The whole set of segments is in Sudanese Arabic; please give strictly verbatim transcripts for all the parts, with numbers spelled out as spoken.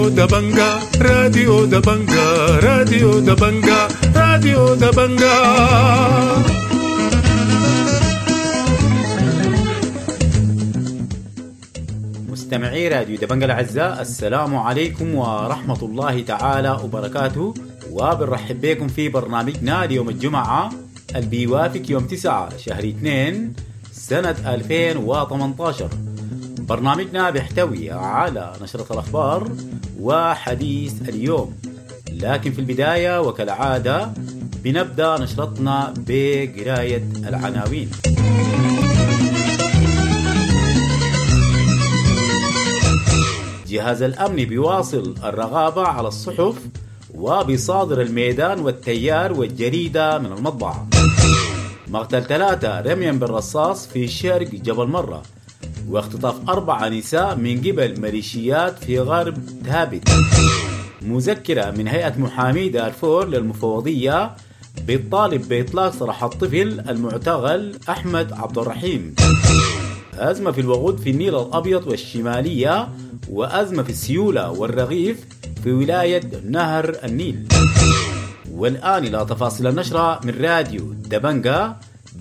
راديو دبنجا، راديو دبنجا، راديو دبنجا، راديو دبنجا. مستمعي راديو دبنجا الأعزاء، السلام عليكم ورحمة الله تعالى وبركاته، وبنرحب بكم في برنامجنا ليوم الجمعة اللي بيوافق يوم تسعة شهر اثنين سنة ألفين وثمانية عشر. برنامجنا بيحتوي على نشرة الأخبار وحديث اليوم، لكن في البداية وكالعادة بنبدأ نشرتنا بقراية العناوين. جهاز الأمن بيواصل الرغابة على الصحف وبيصادر الميدان والتيار والجريدة من المطبعة. مقتل ثلاثة رميا بالرصاص في شرق جبل مرة، واختطاف أربع نساء من قبل ميليشيات في غرب ثابت. مذكرة من هيئة محامي دارفور للمفوضية بالطالب بإطلاق سراح الطفل المعتقل أحمد عبد الرحيم. أزمة في الوقود في النيل الأبيض والشمالية، وأزمة في السيولة والرغيف في ولاية نهر النيل. والآن إلى تفاصيل النشرة من راديو دبنجا،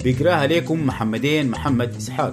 بقراها لكم محمدين محمد إسحاق.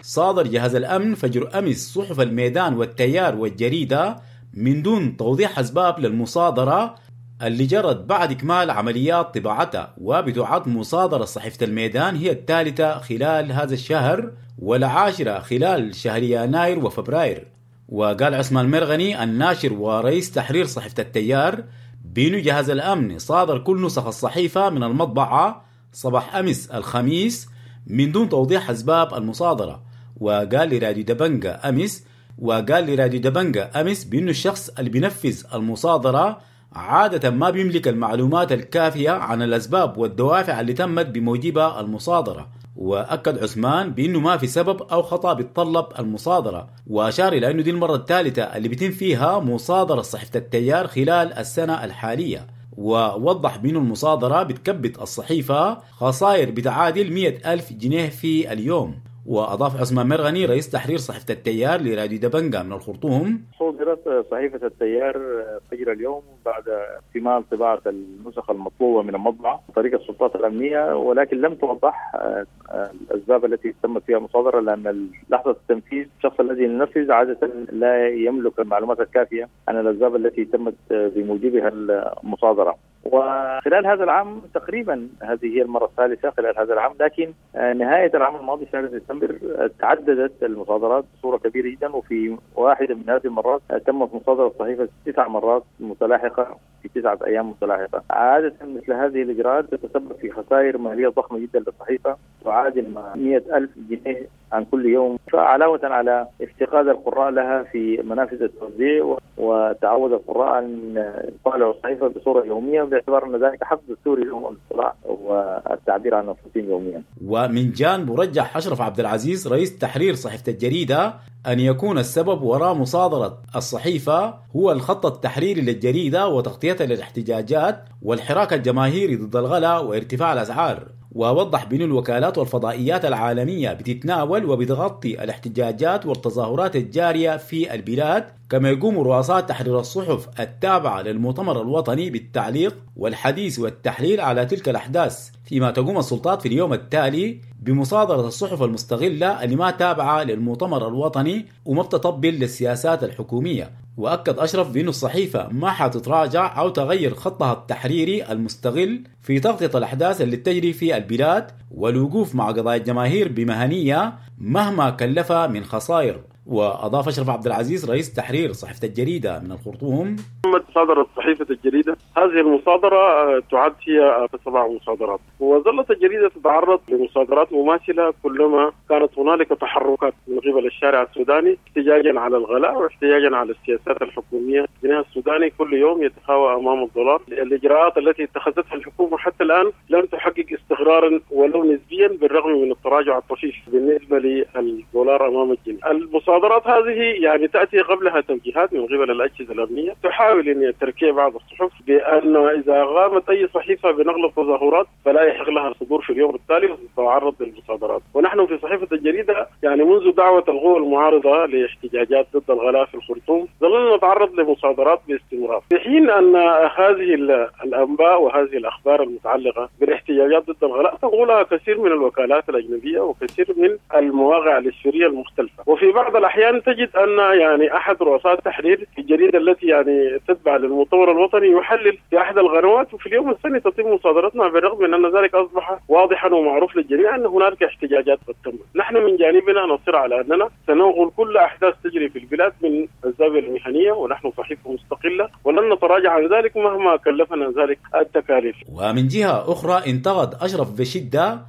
صادر جهاز الأمن فجر أمس صحف الميدان والتيار والجريدة من دون توضيح أسباب للمصادرة اللي جرت بعد إكمال عمليات طباعتها، وبتعد مصادرة صحيفة الميدان هي الثالثة خلال هذا الشهر والعاشرة خلال شهر يناير وفبراير. وقال عثمان مرغني الناشر ورئيس تحرير صحيفة التيار بأن جهاز الأمن صادر كل نسخ الصحيفة من المطبعة صباح أمس الخميس من دون توضيح أسباب المصادرة. وقال لراديو دبنجا أمس وقال لراديو دبنجا أمس بأنه الشخص اللي بينفذ المصادرة عادة ما بيملك المعلومات الكافية عن الأسباب والدوافع اللي تمت بموجبها المصادرة. وأكد عثمان بأنه ما في سبب أو خطأ بيتطلب المصادرة، وأشار إلى أنه دي المرة الثالثة اللي بيتم فيها مصادرة صحيفة التيار خلال السنة الحالية. ووضح بأنه المصادرة بتكبت الصحيفة خسائر بتعادل مئة ألف جنيه في اليوم. وأضاف عثمان مرغني رئيس تحرير صحيفة التيار لراديو دبنجا من الخرطوم: صدرت صحيفة التيار فجر اليوم بعد اكتمال طباعة النسخ المطلوبة من المطبعة طريقة السلطات الأمنية، ولكن لم توضح الأسباب التي تمت فيها المصادرة، لأن لحظة التنفيذ الشخص الذي ينفذ عادة لا يملك المعلومات الكافية عن الأسباب التي تمت بموجبها المصادرة. وخلال هذا العام تقريبا هذه هي المرة الثالثة خلال هذا العام، لكن نهاية العام الماضي شهر ديسمبر تعددت المصادرات بصورة كبيرة جدا، وفي واحدة من هذه المرات تمت مصادرة الصحيفة تسع مرات متلاحقة في تسعة أيام متلاحقة. عادة مثل هذه الإجراءات تتسبب في خسائر مالية ضخمة جدا للصحيفة تعادل مئة ألف جنيه عن كل يوم، فعلاوة على افتقاد القراء لها في منافذ التوزيع وتعود القراء أن يطالعوا الصحيفة بصورة يومية باعتبار أن ذلك حق دستوري لهم الاطلاع والتعبير عن أنفسهم يوميا. ومن جانب رجح أشرف عبد العزيز رئيس تحرير صحيفة الجريدة أن يكون السبب وراء مصادرة الصحيفة هو الخط التحريري للجريدة وتغطيتها للاحتجاجات والحراك الجماهيري ضد الغلاء وارتفاع الأسعار. ووضح بأن الوكالات والفضائيات العالمية بتتناول وبتغطي الاحتجاجات والتظاهرات الجارية في البلاد، كما يقوم رؤساء تحرير الصحف التابعة للمؤتمر الوطني بالتعليق والحديث والتحليل على تلك الأحداث، فيما تقوم السلطات في اليوم التالي بمصادرة الصحف المستغلة اللي ما تابعة للمؤتمر الوطني وما بتطبل للسياسات الحكومية. وأكد أشرف بأن الصحيفة ما حتتراجع أو تغير خطها التحريري المستغل في تغطية الأحداث اللي تجري في البلاد والوقوف مع قضايا الجماهير بمهنية مهما كلفها من خسائر. وأضاف أشرف عبد العزيز رئيس تحرير صحيفة الجريدة من الخرطوم: صادرت صحيفة الجريدة، هذه المصادرة تعد هي سبع مصادرات، وظلت الجريدة تتعرض لمصادرات مماثلة كلما كانت هنالك تحركات من قبل الشارع السوداني احتجاجا على الغلاء واحتجاجا على السياسات الحكومية. الجنيه السوداني كل يوم يتخاوى أمام الدولار. الإجراءات التي اتخذتها الحكومة حتى الآن لم تحقق استقرارا ولو نسبيا بالرغم من التراجع الطفيف بالنسبة للدولار أمام الجنيه. المصادرات هذه يعني تأتي قبلها توجيهات من قبل الأجهزة الأمنية تحاول أن تركيع بعض الصحف بأن إذا قامت أي صحيفة بنقل التظاهرات فلا يحق لها الصدور في اليوم التالي وتتعرض للمصادرات. ونحن في صحيفة الجريدة يعني منذ دعوة القوى المعارضة لاحتجاجات ضد الغلاء في الخرطوم ظللنا نتعرض لمصادرات باستمرار، في حين أن هذه الأنباء وهذه الأخبار المتعلقة بالاحتجاجات ضد الغلاء تنقلها كثير من الوكالات الأجنبية وكثير من المواقع الإسفيرية المختلفة. وفي بعض الأحيان تجد أن يعني أحد رؤساء التحرير في الجريدة التي يعني تتبع للمؤتمر الوطني يحلل في أحد القنوات، وفي اليوم الثاني تتم مصادرتنا، بالرغم من أن ذلك أصبح واضحا ومعروف للجميع أن هنالك احتجاجات قد تمت. نحن من جانبنا نصر على أننا سننقل كل أحداث تجري في البلاد من الزاوية المهنية، ونحن صحيفة مستقلة ولن نتراجع عن ذلك مهما كلفنا ذلك التكاليف. ومن جهة أخرى انتقد أشرف بشدة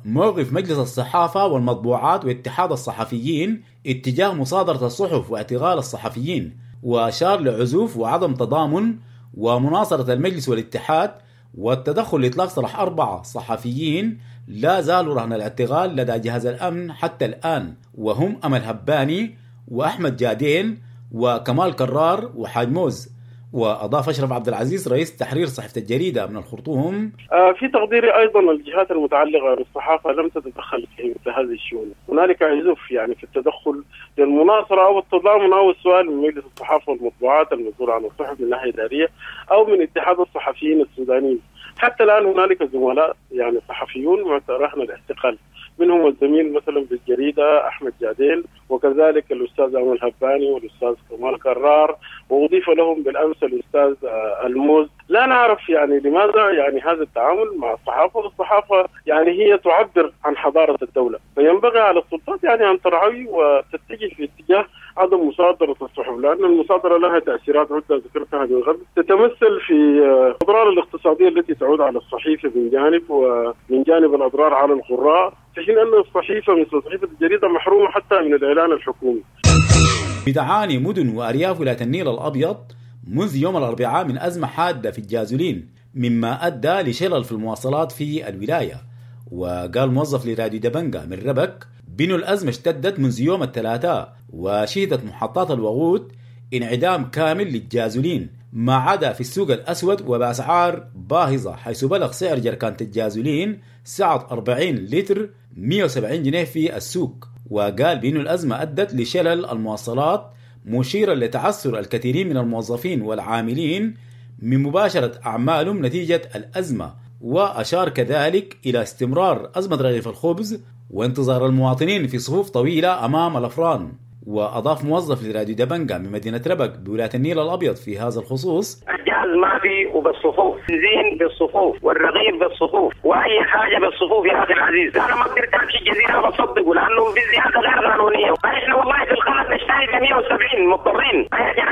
موقف مجلس الصحافة والمطبوعات واتحاد الصحفيين اتجاه مصادرة الصحف واعتقال الصحفيين، وأشار لعزوف وعدم تضامن ومناصرة المجلس والاتحاد والتدخل لإطلاق سراح أربعة صحفيين لا زالوا رهن الاعتقال لدى جهاز الأمن حتى الآن، وهم أمل هباني وأحمد جادين وكمال كرار وحاج موز. وأضاف أشرف عبد العزيز رئيس تحرير صحيفة الجريدة من الخرطوم: في تقديري أيضا الجهات المتعلقة بالصحافة لم تتدخل في مثل هذه الشؤون، هنالك عزوف يعني في التدخل للمناصرة أو التضامن أو السؤال من مجلس الصحافة والمطبوعات المسؤول عن الصحف من ناحية إدارية أو من اتحاد الصحفيين السودانيين. حتى الآن هنالك زملاء يعني صحفيون رهن الاعتقال، منهم الزميل مثلا بالجريدة أحمد جادين، وكذلك الأستاذ أمل هباني والأستاذ كمال كرار، وأضيف لهم بالأمس الأستاذ الموز. لا نعرف يعني لماذا يعني هذا التعامل مع الصحافة، والصحافة يعني هي تعبر عن حضارة الدولة، فينبغي على السلطات يعني أن ترعوي وتتجه في اتجاه عدم مصادرة الصحف، لأن المصادرة لها تأثيرات عدة ذكرتها من قبل تتمثل في الأضرار الاقتصادية التي تعود على الصحيفة من جانب، ومن جانب الأضرار على القراء، في حين أن الصحيفة مثل صحيفة الجريدة محرومة حتى من الإعلان الحكومي. بتعاني مدن وأرياف ولاية النيل الأبيض منذ يوم الأربعاء من أزمة حادة في الجازولين، مما أدى لشلل في المواصلات في الولاية. وقال موظف لراديو دبنجا من ربك بأن الأزمة اشتدت منذ يوم الثلاثاء، وشهدت محطات الوقود انعدام كامل للجازولين ما عدا في السوق الأسود وبأسعار باهظة، حيث بلغ سعر جركانة الجازولين سعة أربعين لتر مئة وسبعين جنيه في السوق. وقال بأن الأزمة أدت لشلل المواصلات، مشيرا لتعثر الكثيرين من الموظفين والعاملين من مباشرة أعمالهم نتيجة الأزمة. وأشار كذلك إلى استمرار أزمة رغيف الخبز وانتظار المواطنين في صفوف طويلة أمام الأفران. وأضاف موظف لراديو دبنجا من مدينة ربك بولاية النيل الأبيض في هذا الخصوص: الجهاز ما في وبالصفوف، بنزين بالصفوف والرغيف بالصفوف وأي حاجة بالصفوف يا أخي العزيز. أنا ما قدرت أمشي الجزيرة بصدقه لأنه في زيادة غير قانونية. إحنا والله في القناة نشتري ب مئة وسبعين مضطرين،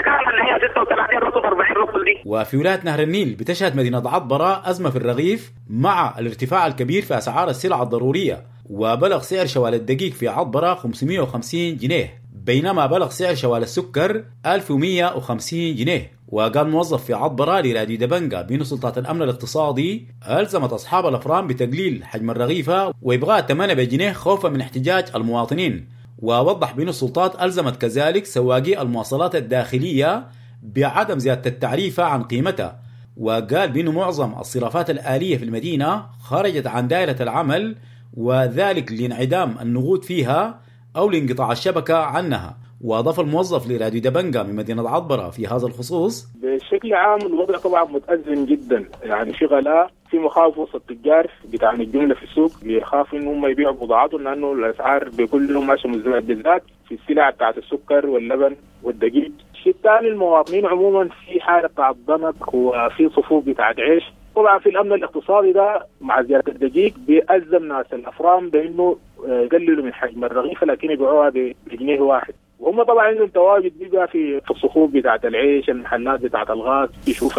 كان اللي هي ستة وثلاثين رطل أربعين رطل دي. وفي ولاية نهر النيل بتشهد مدينة عطبرة أزمة في الرغيف مع الارتفاع الكبير في أسعار السلع الضرورية، وبلغ سعر شوال الدقيق في عطبرة خمسمئة وخمسين جنيه، بينما بلغ سعر شوال السكر ألف ومئة وخمسين جنيه. وقال موظف في عطبرة لراديو دبنجا بأن سلطات الأمن الاقتصادي ألزمت أصحاب الأفران بتقليل حجم الرغيفة وإبغاء ثمنها بجنيه خوفا من احتجاج المواطنين. ووضح بأن السلطات ألزمت كذلك سواقي المواصلات الداخلية بعدم زيادة التعريفة عن قيمتها. وقال بأن معظم الصرافات الآلية في المدينة خرجت عن دائرة العمل، وذلك لانعدام النقود فيها أو لانقطاع الشبكة عنها. وأضاف الموظف لراديو دبنجا من مدينة عطبرة في هذا الخصوص: بشكل عام الوضع طبعا متأزم جدا، يعني في غلاء، في مخاوف وسط التجار بتاع الجملة في السوق، بيخافوا إن هم يبيعوا بضاعتهم لأنه الأسعار بكل يوم ماشية مزدوجة، بالذات في السلع بتاعت السكر واللبن والدقيق. الشيء الثاني المواطنين عموما في حالة بتاعت ضنك وفي صفوف بتاعت عيش. طبعا في الأمن الاقتصادي ده مع زيادة الدقيق بيأزم ناس الأفران بأنه يقللوا من حجم الرغيفة لكن يبيعوها بجنيه واحد، وهم طبعا عندهم تواجد بيبقى في الصخوف بتاعة العيش، المحلات بتاعة الغاز، يشوف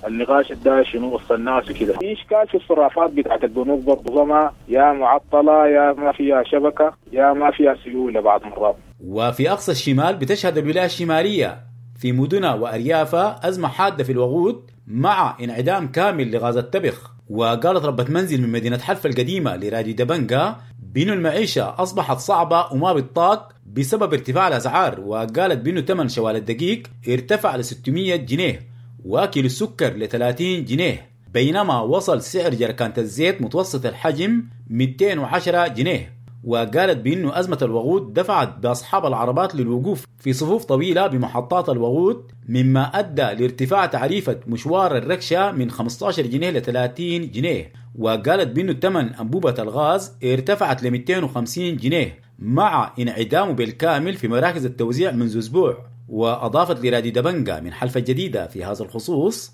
النقاش ده شنو وسط الناس وكده. في إشكال في الصرافات بتاعة البنوك برضه، يا معطلة يا ما فيها شبكة يا ما فيها سيولة بعض مرات. وفي أقصى الشمال بتشهد الولاية الشمالية في مدنها وأريافها أزمة حادة في الوقود مع انعدام كامل لغاز التبخ. وقالت ربة منزل من مدينة حلفة القديمة لراديو دبنجا بأن المعيشة أصبحت صعبة وما بتطاق بسبب ارتفاع الأسعار، وقالت بأنه ثمن شوال الدقيق ارتفع ل ستمية جنيه وكيلو السكر ل ثلاثين جنيه، بينما وصل سعر جركانة الزيت متوسط الحجم مئتين وعشرة جنيه. وقالت بأنه أزمة الوقود دفعت بأصحاب العربات للوقوف في صفوف طويلة بمحطات الوقود، مما أدى لارتفاع تعريفة مشوار الركشة من خمسة عشر جنيه ل ثلاثين جنيه. وقالت بأنه ثمن أنبوبة الغاز ارتفعت ل مئتين وخمسين جنيه مع انعدامه بالكامل في مراكز التوزيع منذ أسبوع. وأضافت لراديو دبنجا من حلفة جديدة في هذا الخصوص: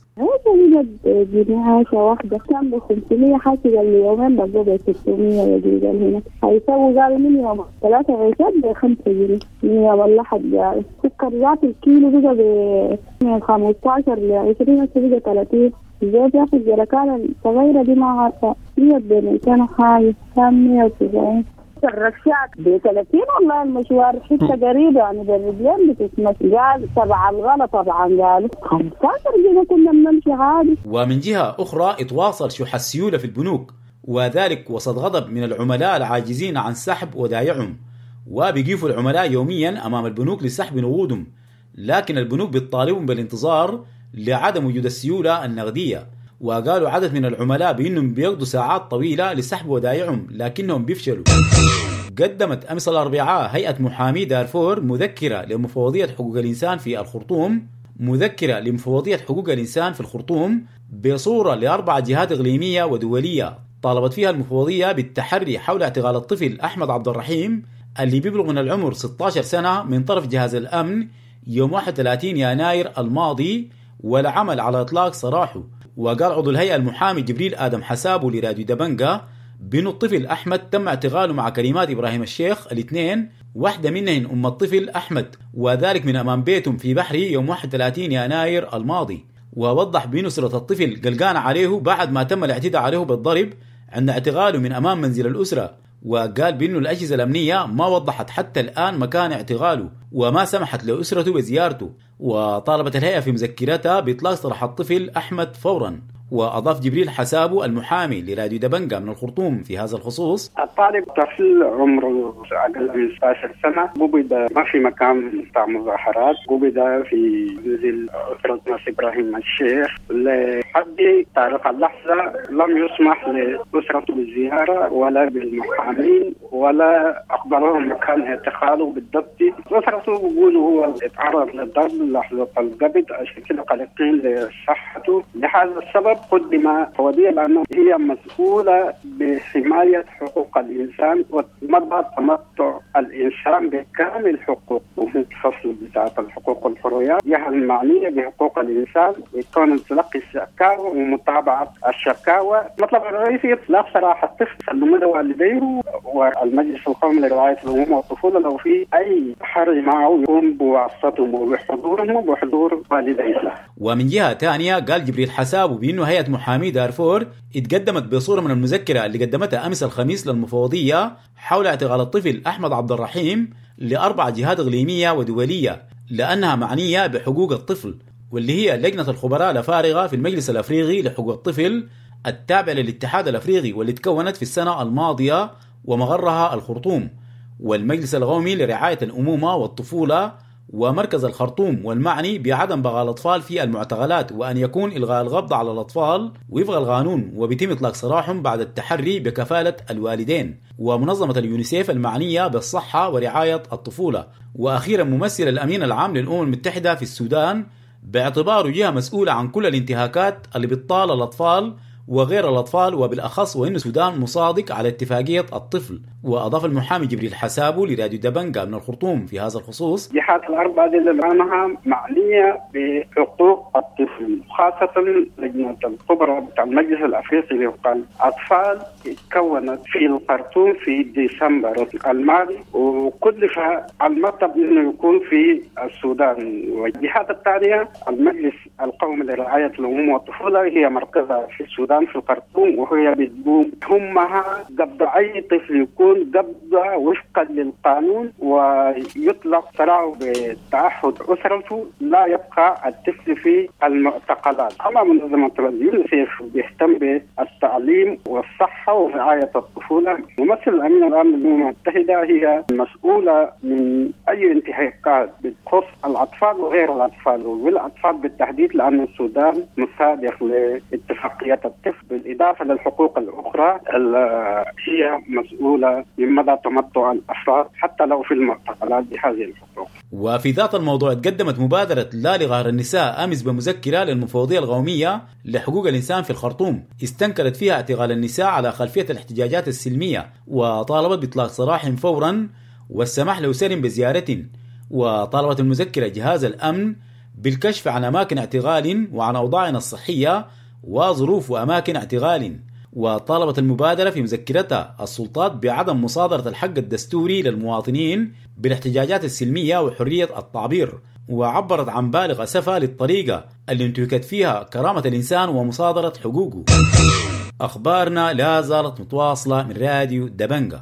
جنيه واحدة كان ب خمسمية حاسب اليومين بقوا ب ستمية يا هنا هيسووا قالوا من يوم ثلاثة عيشات بخمسة جنيه من يوم الأحد. قالوا السكر ذات الكيلو بقى ب خمستاشر ل عشرين بقى ثلاثين. الزيت ياخذ جركان الصغيرة دي ما عارفة مية بمئتين وحاجة كان مية وتسعين. الركشات ب ثلاثين والله المشوار حته قريبه يعني بالرجلين بتتمشي. قال تبع الغلا طبعا قالوا خمستاشر جنيه كنا بنمشي عادي. ومن جهه اخرى اتواصل شح السيوله في البنوك، وذلك وسط غضب من العملاء العاجزين عن سحب ودائعهم، وبيقفوا العملاء يوميا امام البنوك لسحب نقودهم، لكن البنوك بتطالبهم بالانتظار لعدم وجود السيوله النقديه. وقالوا عدد من العملاء بأنهم بيقضوا ساعات طويلة لسحب ودائعهم لكنهم بيفشلوا. قدمت أمس الأربعاء هيئة محامي دارفور مذكرة لمفوضية حقوق الإنسان في الخرطوم مذكرة لمفوضية حقوق الإنسان في الخرطوم بصورة لأربع جهات إقليمية ودولية طالبت فيها المفوضية بالتحري حول اعتقال الطفل أحمد عبد الرحيم اللي بيبلغ من العمر ستة عشر سنة من طرف جهاز الأمن يوم واحد وثلاثين يناير الماضي والعمل على إطلاق سراحه. وقال عضو الهيئة المحامي جبريل آدم حسابه لراديو دبنجا بأن الطفل أحمد تم اعتقاله مع كلمات إبراهيم الشيخ الاثنين، واحدة منهن أم الطفل أحمد، وذلك من أمام بيتهم في بحري يوم واحد وثلاثين يناير الماضي. ووضح بأن أسرة الطفل قلقان عليه بعد ما تم الاعتداء عليه بالضرب عند اعتقاله من أمام منزل الأسرة، وقال بأنه الأجهزة الأمنية ما وضحت حتى الآن مكان اعتقاله وما سمحت لأسرته بزيارته. وطالبت الهيئة في مذكرتها بإطلاق سراح الطفل أحمد فورا. وأضاف جبريل حسابه المحامي لراديو دبنجا من الخرطوم في هذا الخصوص: الطالب طفل عمره أقل من ستة عشر سنة، قبض ما في مكان بتاع مظاهرات، قبض في منزل أسرة ناس إبراهيم الشيخ. لحد تاريخ اللحظة لم يسمح لأسرته بالزيارة ولا بالمحامين ولا أخبرهم مكان اعتقاله بالضبط. أسرته بيقولوا هو اتعرض للضرب لحظة القبض، عشان كده قلقين لصحته. لهذا السبب قدم فوضية لأنه هي مسؤولة بحماية حقوق الإنسان ومدى تمتع الإنسان بكامل حقوقه. الفصل بتاعة الحقوق والحريات جهة المعنية بحقوق الإنسان يكون تلقي الشكاوى ومتابعة الشكاوى. المطلب الرئيسي إطلاق سراح الطفل سلموا والديه والمجلس القومي لرعاية الأمومة والطفولة لو في أي حرج معه يقوم بواسطتهم وبحضورهم وبحضور والديه. ومن جهة ثانية قال جبريل حسابه بأنه هيئة محامي دارفور اتقدمت بصورة من المذكرة اللي قدمتها أمس الخميس للمفوضية حول اعتقال الطفل أحمد عبد الرحيم لأربع جهات إقليمية ودولية لأنها معنية بحقوق الطفل، واللي هي لجنة الخبراء الفارغة في المجلس الأفريقي لحقوق الطفل التابع للاتحاد الأفريقي واللي تكونت في السنة الماضية ومغرها الخرطوم، والمجلس القومي لرعاية الأمومة والطفولة ومركز الخرطوم والمعني بعدم بغاء الأطفال في المعتقلات وأن يكون إلغاء القبض على الأطفال وفق القانون وبيتم إطلاق سراحهم بعد التحري بكفالة الوالدين، ومنظمة اليونيسيف المعنية بالصحة ورعاية الطفولة. وأخيرا ممثل الأمين العام للأمم المتحدة في السودان باعتباره جهة مسؤولة عن كل الانتهاكات اللي بتطال الأطفال وغير الأطفال، وبالأخص وإن السودان مصادق على اتفاقية الطفل. وأضاف المحامي جبريل حسابه لراديو دبنجا من الخرطوم في هذا الخصوص: الجهات الأربعة دي اللي معها معنية بحقوق الطفل، خاصة لجنة الخبراء بتاع المجلس الأفريقي لحقوق الأطفال تكونت في الخرطوم في ديسمبر الماضي، وكلف المطلب إنه يكون في السودان. والجهات الثانية المجلس القومي لرعاية الأمومة والطفولة هي مركزها في السودان السودان في الخرطوم، وهي بتقوم همها قبض أي طفل يكون قبضة وفقا للقانون ويطلق سراحه بتعهد أسرته، لا يبقى الطفل في المعتقلات. أما منظمة اليونيسيف بيهتم بالتعليم والصحة ورعاية الطفولة. ممثل الأمين العام للأمم المتحدة هي مسؤولة من أي انتهاكات بتخص الأطفال وغير الأطفال، والأطفال بالتحديد لأن السودان مصادق لاتفاقية الطفل، بالإضافة للحقوق الأخرى اللي هي مسؤولة من مدى تمتع الأفراد حتى لو في المعتقلات بهذه الحقوق. وفي ذات الموضوع تقدمت مبادرة لا لغار النساء أمس بمذكرة للمفوضية القومية لحقوق الإنسان في الخرطوم استنكرت فيها اعتقال النساء على خلفية الاحتجاجات السلمية، وطالبت بإطلاق سراحهم فورا والسماح لأسرهم بزيارة. وطالبت المذكرة جهاز الأمن بالكشف عن أماكن اعتقال وعن أوضاعنا الصحية وظروف وأماكن اعتقال. وطالبت المبادرة في مذكرتها السلطات بعدم مصادرة الحق الدستوري للمواطنين بالاحتجاجات السلمية وحرية التعبير، وعبرت عن بالغ أسفها للطريقة اللي انتهكت فيها كرامة الإنسان ومصادرة حقوقه. أخبارنا لا زالت متواصلة من راديو دبنجة.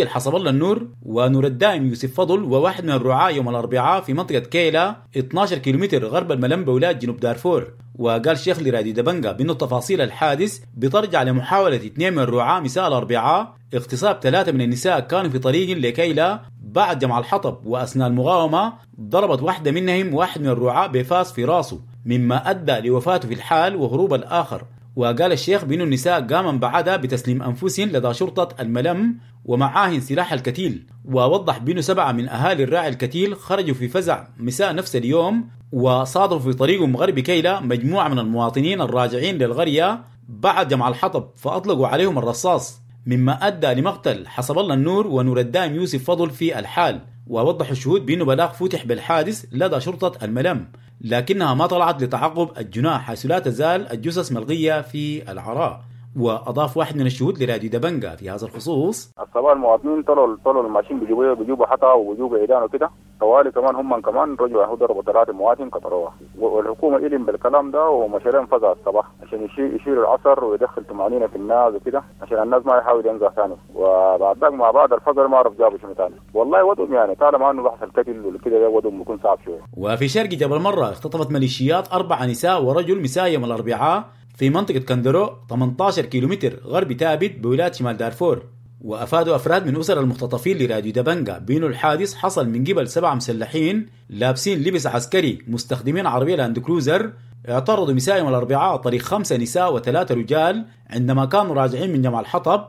حسب الله النور ونور الدائم يوسف فضل وواحد من الرعاة يوم الأربعاء في منطقة كيلا اثناشر كيلومتر غرب الملم بولاية جنوب دارفور. وقال شيخ لراديو دبنجة بأنه تفاصيل الحادث بترجع لمحاولة اثنين من الرعاة مساء الأربعاء اغتصاب ثلاثة من النساء كانوا في طريق لكيلا بعد جمع الحطب، وأثناء المقاومة ضربت واحدة منهم واحد من الرعاة بفاس في راسه مما أدى لوفاته في الحال وهروب الآخر. وقال الشيخ بأن النساء قامن بعدها بتسليم أنفسهن لدى شرطة الملم ومعاهن سلاح الكتيل. ووضح بأنه سبعة من أهالي الراعي الكتيل خرجوا في فزع مساء نفس اليوم وصادفوا في طريقهم غرب كيلا مجموعة من المواطنين الراجعين للقرية بعد جمع الحطب فأطلقوا عليهم الرصاص مما أدى لمقتل حسب الله النور ونور الدائم يوسف فضل في الحال. ووضح الشهود بأنه بلاغ فتح بالحادث لدى شرطة الملم لكنها ما طلعت لتعقب الجناح حيث لا تزال الجثث ملقية في العراء. وأضاف واحد من الشهود لراديو دبنجة في هذا الخصوص: الصباح المواطنين طلعوا طلعوا الماشيين بيجيبوا بيجيبوا حطا وبيجيبوا عيدان وكده طوالي، كمان هم كمان رجعوا ضربوا ثلاثة مواطن قطروها، والحكومة إلم بالكلام ده ومشاريع فزع الصباح عشان يشيلوا العصر ويدخل طمأنينة في الناس وكده عشان الناس ما يحاول ينزع ثاني. وبعد ذاك مع بعض الفجر ما عرف جابوا شنو ثاني والله وضعهم يعني طالما انه بحث القتل وكده وضعهم بيكون صعب شوية. وفي شرق جبل مرة اختطفت ميليشيات أربع نساء ورجل مساء يوم الأربعاء في منطقة كندرو ثمانية عشر كيلومتر غرب تابت بولاية شمال دارفور. وأفادوا أفراد من أسر المختطفين لراديو دبنجة بأنه الحادث حصل من قبل سبعة مسلحين لابسين لبس عسكري مستخدمين عربية لاند كروزر اعترضوا مساء يوم الأربعاء طريق خمسة نساء وثلاثة رجال عندما كانوا راجعين من جمع الحطب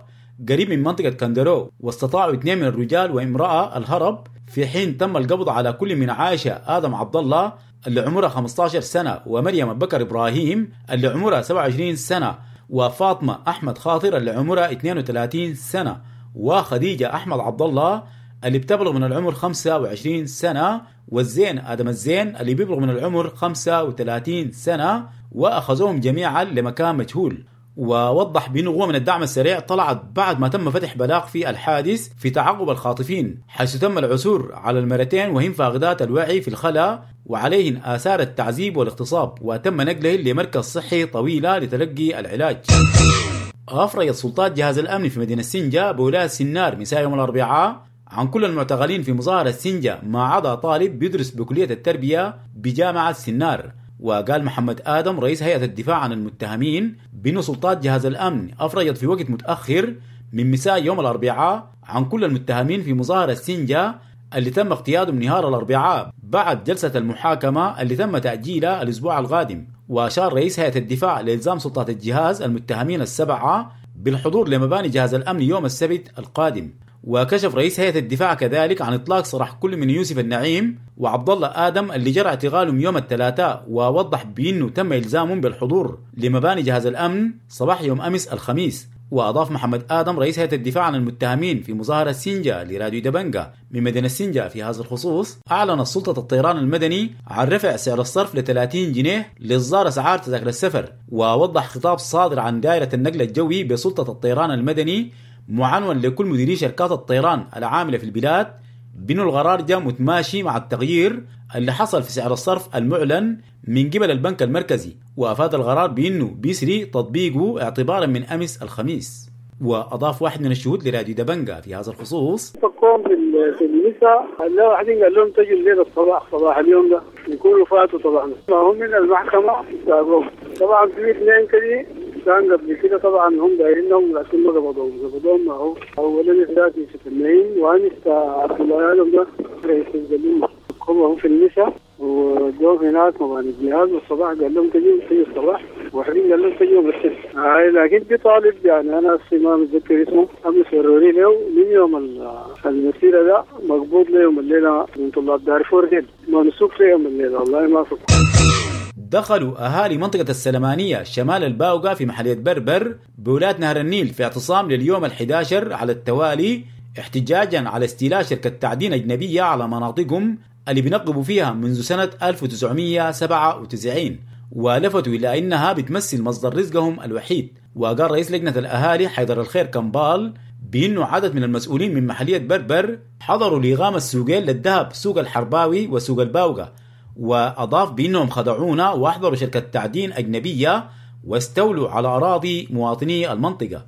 قريب من منطقة كندرو، واستطاعوا اثنين من الرجال وامرأة الهرب، في حين تم القبض على كل من عائشة آدم عبد الله اللي عمرها خمسة عشر سنة ومريم بكر إبراهيم اللي عمرها سبعة وعشرين سنة وفاطمة أحمد خاطر اللي عمرها اثنين وثلاثين سنة وخديجة أحمد عبد الله اللي بتبلغ من العمر خمسة وعشرين سنة والزين آدم الزين اللي بيبلغ من العمر خمسة وثلاثين سنة، وأخذوهم جميعا لمكان مجهول. ووضح بأنه قوة من الدعم السريع طلعت بعد ما تم فتح بلاغ في الحادث في تعقب الخاطفين، حيث تم العثور على المرتين وهن فاقدات الوعي في الخلاء وعليهن آثار التعذيب والاغتصاب، وتم نقلهن لمركز صحي طويلة لتلقي العلاج. أفرجت سلطات جهاز الأمن في مدينة سنجة بولاية سنار مساء يوم الأربعاء عن كل المعتقلين في مظاهرة سنجة ما عدا طالب بيدرس بكلية التربية بجامعة سنار. وقال محمد آدم رئيس هيئة الدفاع عن المتهمين بأن سلطات جهاز الأمن أفرجت في وقت متأخر من مساء يوم الأربعاء عن كل المتهمين في مظاهرة سنجة اللي تم اقتيادهم نهار الأربعاء بعد جلسة المحاكمة اللي تم تأجيلها الأسبوع القادم. وأشار رئيس هيئة الدفاع لإلزام سلطات الجهاز المتهمين السبعة بالحضور لمباني جهاز الأمن يوم السبت القادم. وكشف رئيس هيئة الدفاع كذلك عن إطلاق سراح كل من يوسف النعيم وعبد الله آدم اللي جرى اعتقالهم يوم الثلاثاء، ووضح بأنه تم إلزامهم بالحضور لمباني جهاز الأمن صباح يوم أمس الخميس. وأضاف محمد آدم رئيس هيئة الدفاع عن المتهمين في مظاهرة سنجة لراديو دبنجة من مدينة سنجة في هذا الخصوص: أعلن سلطة الطيران المدني عن رفع سعر الصرف ل ثلاثين جنيه لإصدار أسعار تذاكر السفر. ووضح خطاب صادر عن دائرة النقل الجوي بسلطة الطيران المدني معنون لكل مديري شركات الطيران العاملة في البلاد بأن القرار جاء متماشي مع التغيير اللي حصل في سعر الصرف المعلن من قبل البنك المركزي. وأفاد القرار بأنه بيسري تطبيقه اعتبارا من أمس الخميس. وأضاف واحد من الشهود لراديو دبنجا في هذا الخصوص: فكوهم في النساء، لا واحدين قال لهم تجوا الليلة الصباح، صباح اليوم ده يكونوا فاتوا طبعا، ما هم من المحكمة ساقوهم طبعا. في اثنين كده كان قبل كده طبعا هم دايرينهم لكن ما قبضوهم، قبضوهم ما هو أولا ذاتي في النعيم وأنس عبد الله ده رئيس الزميل، هم في النساء ودوهم هناك مباني الجهاز. والصباح قال لهم تجوا تجوا الصباح، وحدين قال لهم تجوا بالسلك. هاي لكن في طالب يعني انا ما متذكر اسمه امس وروني له من يوم المسيره ده مقبوض ليوم الليله من طلاب دارفور ديل ممسوك فيهم الليله والله ما فك. دخلوا أهالي منطقة السلمانية شمال الباوقة في محلية بربر بولاية نهر النيل في اعتصام لليوم الحادي عشر على التوالي احتجاجا على استيلاء شركة تعدين أجنبية على مناطقهم اللي بينقبوا فيها منذ سنة ألف وتسعمية وسبعة وتسعين، ولفتوا إلى أنها بتمثل مصدر رزقهم الوحيد. وقال رئيس لجنة الأهالي حيدر الخير كمبال بأنه عدد من المسؤولين من محلية بربر حضروا لإقامة السوقين للذهب، سوق الحرباوي وسوق الباوقة، وأضاف بأنهم خدعونا وأحضروا شركة تعدين أجنبية واستولوا على أراضي مواطني المنطقة.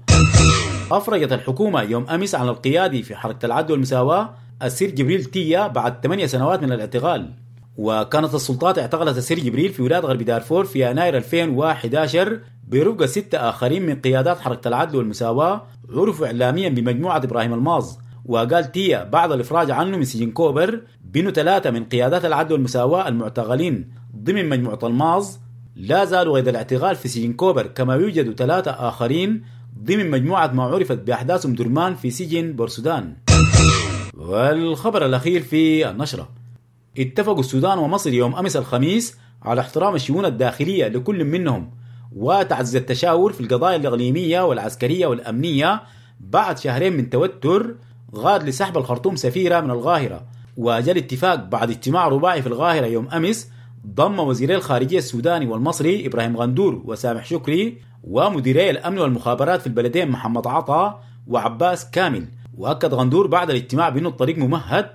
أفرجت الحكومة يوم أمس عن القيادي في حركة العدل والمساواة السير جبريل تيا بعد ثمانية سنوات من الاعتقال. وكانت السلطات اعتقلت السير جبريل في ولاية غرب دارفور في يناير ألفين وأحد عشر برفقة ستة آخرين من قيادات حركة العدل والمساواة عرفوا إعلاميا بمجموعة إبراهيم الماظ. وقال تيا بعد الإفراج عنه من سجن كوبر بأنه ثلاثة من قيادات العدل والمساواة المعتقلين ضمن مجموعة الماظ لا زالوا قيد الاعتقال في سجن كوبر، كما يوجد ثلاثة آخرين ضمن مجموعة ما عرفت بأحداث أم درمان في سجن بورسودان. والخبر الأخير في النشرة: اتفقوا السودان ومصر يوم أمس الخميس على احترام الشؤون الداخلية لكل منهم وتعزيز التشاور في القضايا الإقليمية والعسكرية والأمنية بعد شهرين من توتر غاد لسحب الخرطوم سفيرة من القاهرة. وجاء الاتفاق بعد اجتماع رباعي في القاهرة يوم أمس ضم وزيري الخارجية السوداني والمصري إبراهيم غندور وسامح شكري ومديري الأمن والمخابرات في البلدين محمد عطا وعباس كامل. وأكد غندور بعد الاجتماع بأنه الطريق ممهد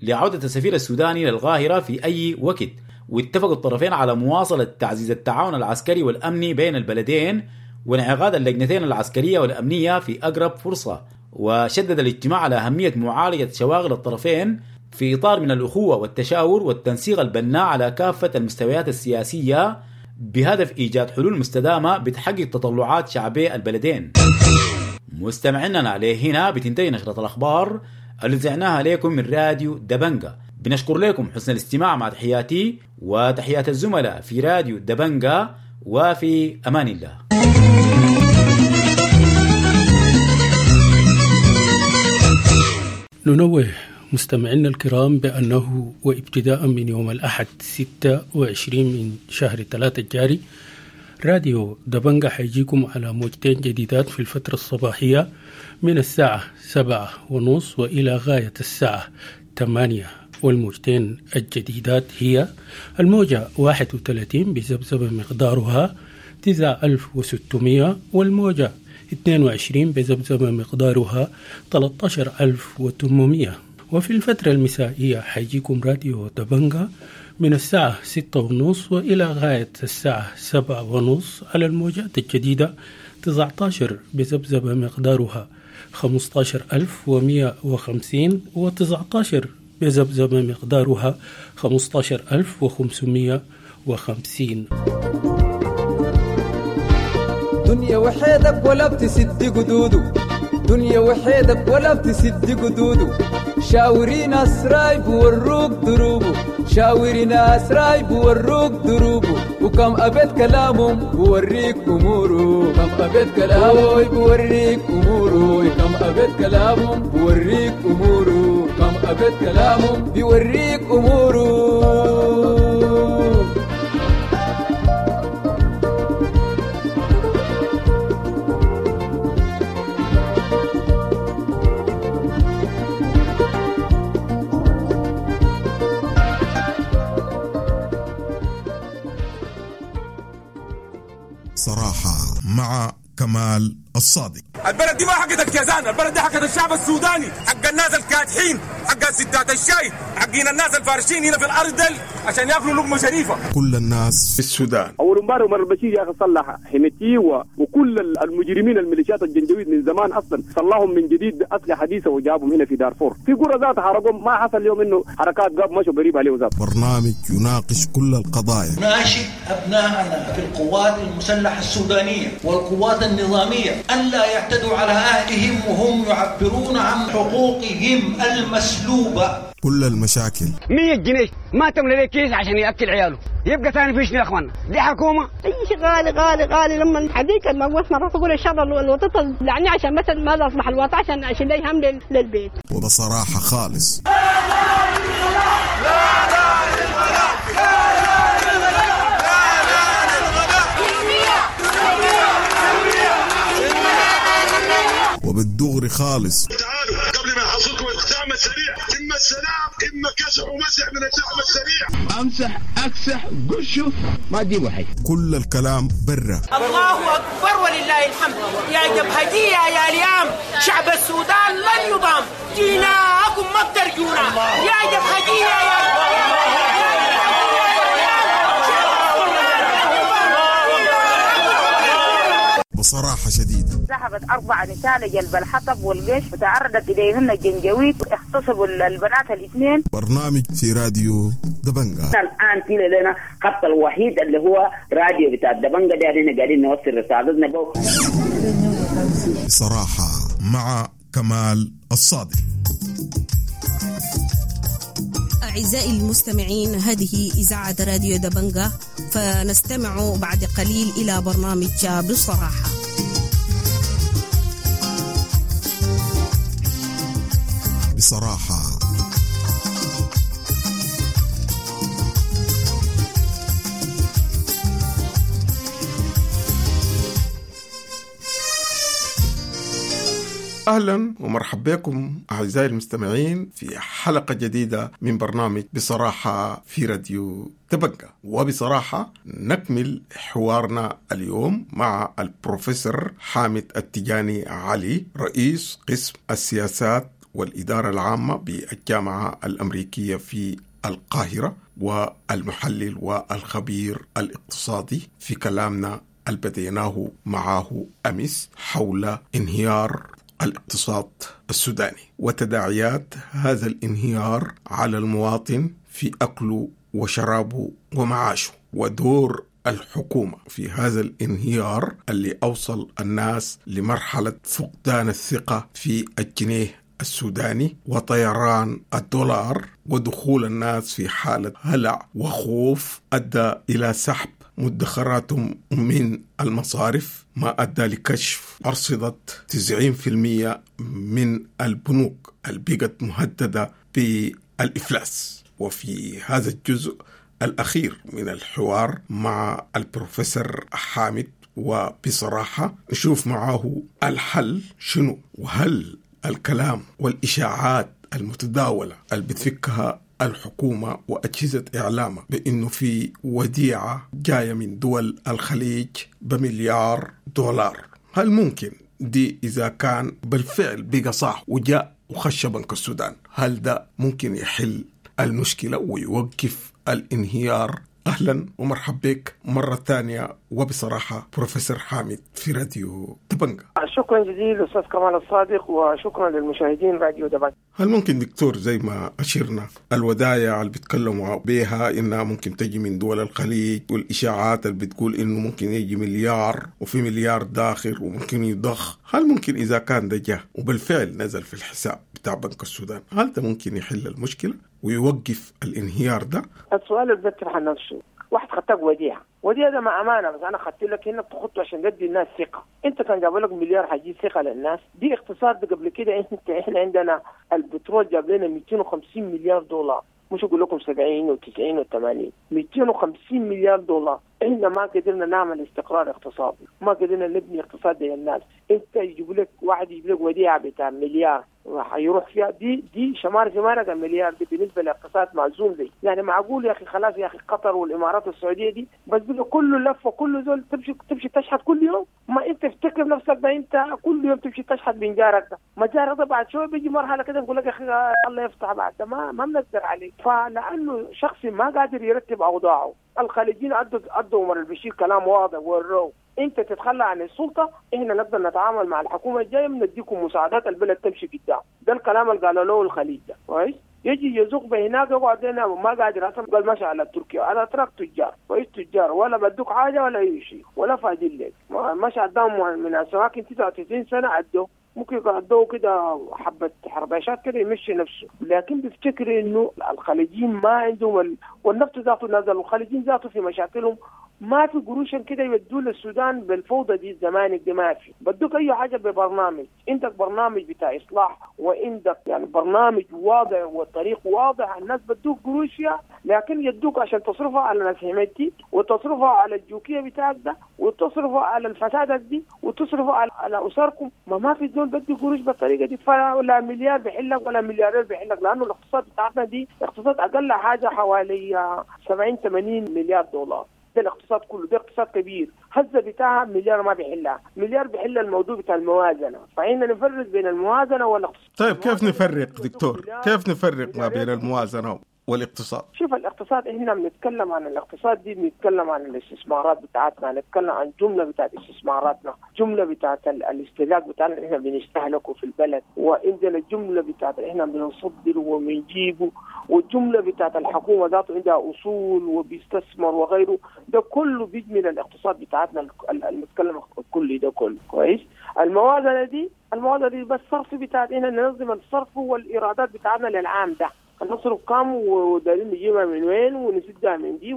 لعودة السفير السوداني للقاهرة في أي وقت. واتفق الطرفين على مواصلة تعزيز التعاون العسكري والأمني بين البلدين وانعقاد اللجنتين العسكرية والأمنية في أقرب فرصة. وشدد الاجتماع على أهمية معالجة شواغل الطرفين في إطار من الأخوة والتشاور والتنسيق البناء على كافة المستويات السياسية بهدف إيجاد حلول مستدامة بتحقق تطلعات شعبي البلدين. مستمعينا عليه هنا بتنتهي نشرة الأخبار اللي زعناها لكم من راديو دبنجا. بنشكر لكم حسن الاستماع، مع تحياتي وتحيات الزملاء في راديو دبنجا، وفي أمان الله. ننوه مستمعينا الكرام بأنه وابتداء من يوم الأحد ستة وعشرين من شهر ثلاثة الجاري راديو دبنجا حيجيكم على موجتين جديدات في الفترة الصباحية من الساعة سبعة ونص وإلى غاية الساعة ثمانية، والموجتين الجديدات هي الموجة واحد وثلاثين بذبذبة مقدارها تسعة ألف وستمية، والموجة اثنين وعشرين بذبذبة مقدارها ثلاثة عشر ألف وثمانمية. وفي الفترة المسائية حيجيكم راديو دبنجا من الساعة ستة ونص وإلى غاية الساعة سبعة ونص على الموجات الجديدة تسعة عشر بذبذبة مقدارها خمسة عشر ألف ومئة وخمسين، وتسعة عشر بذبذبة مقدارها خمسة عشر ألف وخمسمية وخمسين. دنيا وحيدك ولا بتسد قدوده، دنيا وحيدك ولا بتسد قدوده، شاوري ناس رايب وروك دروبه، شاوري ناس رايب وروك دروبه، وكم أبيت كلامهم بوريك أموره، كم أبيت كلامه بوريك أموره، كم أبيت كلامهم بوريك أموره، كم أبيت كلامهم بيوريك أموره. صراحة مع كمال الصادق. البلد دي ما حقت الكيزان، البلد دي حقت الشعب السوداني، حق الناس الكادحين، حق ستات الشاي، حقين الناس الفارشين هنا في الارض دل عشان ياكلوا لقمة شريفه. كل الناس في السودان. اول امبارح عمر البشير يا اخي صلح حميتي و... وكل المجرمين الميليشيات الجنجويد من زمان اصلا صلحهم من جديد باسلحه حديثه وجابهم هنا في دارفور. في قرى ذات حرقهم، ما حصل اليوم انه حركات قاب مشوا قريب عليه ذات. برنامج يناقش كل القضايا. ناشد ابنائنا في القوات المسلحة السودانية والقوات النظامية الا يعتدوا على اهلهم وهم يعبرون عن حقوقهم المسلوبه. كل المشاكل. مية جنيه ما تملى ليه كيس عشان ياكل عياله، يبقى ثاني فيش يا اخوانا، دي حكومة. اي شيء غالي غالي غالي. لما حديك ما قلت مرات اقول ان شاء الله الوطن يعني عشان مثلا ما اصبح الوطن عشان عشان لا يهم للبيت. وبصراحة خالص. وبالدغري خالص. تعالوا قبل ما يحصلكم الدعم السريع، اما السلام اما كسح ومسح من الدعم السريع. امسح اكسح قشه ما تجيبوا حي. كل الكلام برا. الله اكبر ولله الحمد. يا جبهجيه يا اليام، شعب السودان لن يضام، جيناكم ما بترجونا. يا جبهجيه يا بصراحة شديدة. ذهبت أربع نساء لجلب الحطب والقش وتعرضت إليهن الجنجويد، اغتصبوا البنات الاثنين. برنامج في راديو دبنجا. الآن في لنا خط الوحيد اللي هو راديو بتاع دبنجا ده، احنا قاعدين نوصل رسالتنا بو. بصراحة مع كمال الصادق. أعزائي المستمعين، هذه إذاعة راديو دبنجا، فنستمع بعد قليل إلى برنامج بصراحة. بصراحة أهلا ومرحبا بكم أعزائي المستمعين في حلقة جديدة من برنامج بصراحة في راديو دبنجا. وبصراحة نكمل حوارنا اليوم مع البروفيسور حامد التجاني علي، رئيس قسم السياسات والإدارة العامة بالجامعة الأمريكية في القاهرة، والمحلل والخبير الاقتصادي، في كلامنا اللي بديناه معه أمس حول انهيار الاقتصاد السوداني وتداعيات هذا الانهيار على المواطن في أكله وشرابه ومعاشه، ودور الحكومة في هذا الانهيار اللي أوصل الناس لمرحلة فقدان الثقة في الجنيه السوداني وطيران الدولار، ودخول الناس في حالة هلع وخوف أدى إلى سحب مدخراتهم من المصارف، ما أدى لكشف أرصدة تسعين بالمئة من البنوك اللي بقت مهددة بالإفلاس. وفي هذا الجزء الأخير من الحوار مع البروفيسور حامد وبصراحة نشوف معه الحل شنو، وهل الكلام والإشاعات المتداولة اللي بتفكها الحكومة وأجهزة إعلامها بأنه في وديعة جاية من دول الخليج بمليار دولار، هل ممكن دي إذا كان بالفعل بقى صح وجاء وخش بنك السودان، هل ده ممكن يحل المشكلة ويوقف الانهيار؟ أهلا ومرحبا بك مرة ثانية وبصراحة بروفيسور حامد في راديو دبنجا. شكرا جزيلا أستاذ كمال الصادق، وشكرا للمشاهدين راديو دبنجا. هل ممكن دكتور زي ما أشرنا الودايع اللي بيتكلموا بيها إنها ممكن تجي من دول الخليج، والإشاعات اللي بتقول إنه ممكن يجي مليار وفي مليار داخل وممكن يضخ، هل ممكن إذا كان ده جه وبالفعل نزل في الحساب بتاع بنك السودان، هل ده ممكن يحل المشكلة ويوقف الانهيار ده؟ السؤال اللي بيطرح نفسه، واحد خدتك وديعة، وديعة ده مع أمانة، بس أنا خدت لك هنا بتخطه عشان تدي الناس ثقة، أنت كان جاب لك مليار حيجيب ثقة للناس، دي اقتصاد قبل كده. أنت إحنا عندنا البترول جاب لنا مئتين وخمسين مليار دولار، مش أقول لكم سبعين وتسعين وثمانين، مئتين وخمسين مليار دولار. إحنا ما قدرنا نعمل استقرار اقتصادي، ما قدرنا نبني اقتصاد للناس. أنت يجيب لك واحد يجيب لك وديعة بتاع مليار راح يروح فيها، دي دي شمار شمارة المليار دي بالنسبة لاقتصاد معزوم زي يعني معقول يا اخي؟ خلاص يا اخي قطر والامارات والسعودية دي بس بقى كله لفه، كله زول تمشي تمشي تشحت كل يوم. ما انت افتكر تركب نفسك ده انت كل يوم تمشي تشحت من جارك ده، ما جارك ده بعد شوية بيجي مرحلة كده بيقول لك يا اخي الله يفتح بعد ده ما ما بنقدر عليك. فلانه شخص ما قادر يرتب اوضاعه. الخليجيين ادوا ادوا عمر البشير كلام واضح وروه انت تتخلى عن السلطة، احنا نقدر نتعامل مع الحكومة الجاية، بنديكم مساعدات البلد تمشي قدام. ده الكلام اللي قالوا له الخليج ده، كويس؟ يجي يزوق بهناك يقعد هنا ما قادر اصلا، قال ماشي على تركيا، على تراك تجار، كويس؟ تجار ولا بدوك حاجة ولا اي شيء ولا فاضيين لك، ماشي قدام من السواكن تسعة وتسعين سنة عدوا ممكن يقعدوا كده حبة حرباشات كده يمشي نفسه. لكن بيفتكر انه الخليجيين ما عندهم ال... والنفط ذاته نزل، والخليجيين ذاته في مشاكلهم ما في قروش كده يودوا للسودان بالفوضى دي الزمانك دي ما في. بدوك اي حاجة ببرنامج، عندك برنامج بتاع اصلاح وعندك يعني برنامج واضح والطريق واضح، الناس بدوك قروش فيها، لكن يدوك عشان تصرفها على ناس حميتي وتصرفها على الجوكيه بتاعك ده وتصرفها على الفسادات دي وتصرفها على, على اسركم. ما ما في زول بدي قروش بالطريقة دي، فلا مليار بحلك ولا مليارين بحلك، لانه الاقتصاد بتاعتنا دي اقتصاد اقل حاجة حوالي سبعين ثمانين مليار دولار. ده الاقتصاد كله، ده اقتصاد كبير، هزه بتاعها مليار ما بيحلها، مليار بيحل الموضوع بتاع الموازنة، فإحنا نفرق بين الموازنة والاقتصاد. طيب كيف نفرق دكتور؟ كيف نفرق ما بين الموازنة والاقتصاد؟ شوف الاقتصاد، احنا بنتكلم عن الاقتصاد دي، بنتكلم عن الاستثمارات بتاعتنا، نتكلم عن جملة بتاعت استثماراتنا، جملة بتاعت الاستهلاك بتاعنا اللي احنا بنستهلكه في البلد، وعندنا الجملة بتاعت احنا بنصدر وبنجيبه، والجملة بتاعت الحكومة ذاته عندها اصول وبيستثمر وغيره، ده كله بيجي من الاقتصاد بتاعتنا المتكلم الكلي ده كله، كويس؟ الموازنة دي، الموازنة دي بس الصرف بتاعتنا، ننظم الصرف والايرادات بتاعتنا للعام ده، نصرف كم ودارين نجيبها من وين ونسدها من دي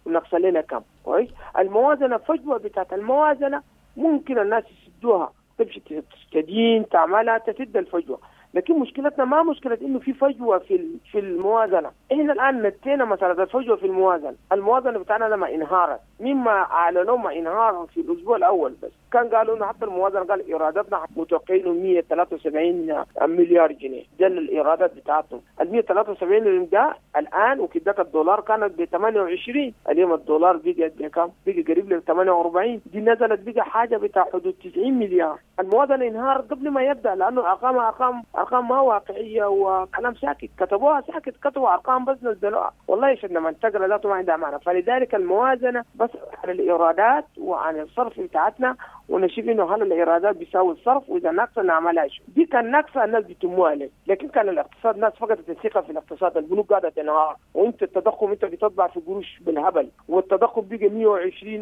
ونقص لنا كم، كويس؟ الموازنة فجوة بتاعت الموازنة ممكن الناس يسدوها، تمشي تستدين تعملها تسد الفجوة، لكن مشكلتنا ما مشكلة انه في فجوة في في الموازنة، احنا الان نتينا مسالة الفجوة في الموازنة، الموازنة بتاعنا لما انهارت، مما اعلنوا ما انهار في الاسبوع الاول بس، كان قالوا انه حتى الموازنة قال ايراداتنا متوقعين مئة وثلاثة وسبعين مليار جنيه، ده الايرادات بتاعتهم، ال مئة وثلاثة وسبعين ده الان وكدك الدولار كانت ب ثمانية وعشرين، اليوم الدولار بقى بكم؟ بقى قريب ل ثمانية وأربعين، دي نزلت بقى حاجة بتاع حدود تسعين مليار، الموازنة انهارت قبل ما يبدا لانه ارقام ارقام ارقام ما واقعية وكلام ساكت، كتبوها ساكت، كتبوا ارقام بس نزلوها، والله عشان لما تقرا ذاته ما عندها معنى. فلذلك الموازنة بس على الايرادات وعن الصرف بتاعتنا، ونشوف انه هل الايرادات بيساوي الصرف، واذا ناقصه نعملها شو. دي كان ناقصه الناس بيتموها لك، لكن كان الاقتصاد الناس فقدت الثقة في الاقتصاد، البنوك قاعدة تنهار، وانت التضخم انت بتطبع في قروش بالهبل، والتضخم بقى مئة وعشرين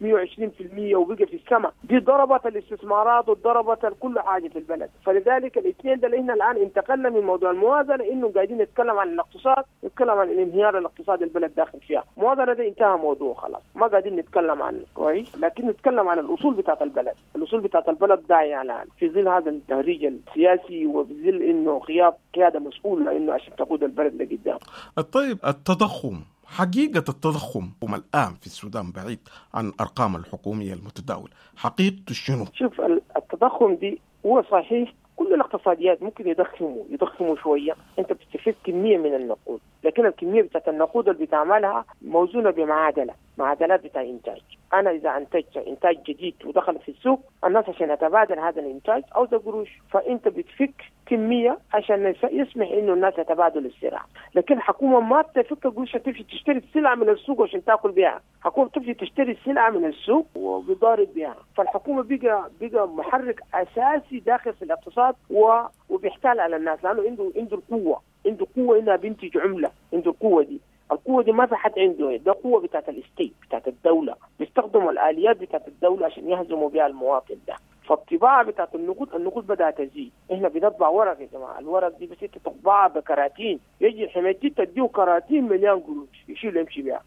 مئة وعشرين بالمئة وبقى في السماء، دي ضربت الاستثمارات وضربت كل حاجة في البلد. فلذلك الاثنين ده اللي احنا الان انتقلنا من موضوع الموازنة انه قاعدين نتكلم عن الاقتصاد، نتكلم عن الانهيار الاقتصادي البلد داخل فيها، الموازنة ده انتهى موضوع خلاص، ما قاعدين نتكلم عنه، كويس؟ لكن نتكلم عن الاصول بتاعت البلد، الاصول بتاعت البلد ضايعة الان في ظل هذا التهريج السياسي وفي ظل انه غياب قيادة مسؤولة انه عشان تقود البلد لقدام. طيب التضخم، حقيقة التضخم الآن في السودان بعيد عن الأرقام الحكومية المتداولة، حقيقته شنو؟ شوف التضخم دي هو صحيح كل الاقتصاديات ممكن يضخموا يضخموا شوية، أنت بتستفيد كمية من النقود، لكن الكمية بتاعت النقود اللي بتعملها موزونة بمعادلة، معادلات بتاع إنتاج. أنا إذا أنتجت إنتاج جديد ودخل في السوق، الناس عشان يتبادل هذا الإنتاج أو ده قروش، فأنت بتفك كمية عشان يسمح إنه الناس يتبادلوا السلع. لكن الحكومة ما بتفك قروش تمشي تشتري السلعة من السوق عشان تاكل بها، الحكومة بتمشي تشتري السلعة من السوق وبيضارب بها، فالحكومة بقى بقى محرك أساسي داخل في الاقتصاد وبيحتال على الناس، لأنه عنده عنده القوة، عنده قوة إنها بينتج عملة، عنده القوة دي. القوة دي ما في حد عنده، ده قوة بتاعت الستيت بتاعت الدولة، بيستخدموا الآليات بتاعت الدولة عشان يهزموا بها المواطن ده. فالطباعة بتاعت النقود، النقود بدأت تزيد، احنا بنطبع ورق يا جماعة، الورق دي بس انت تطبعها بكراتين، يجي حميتي تديه كراتين مليان قروش يشيل يمشي بيها،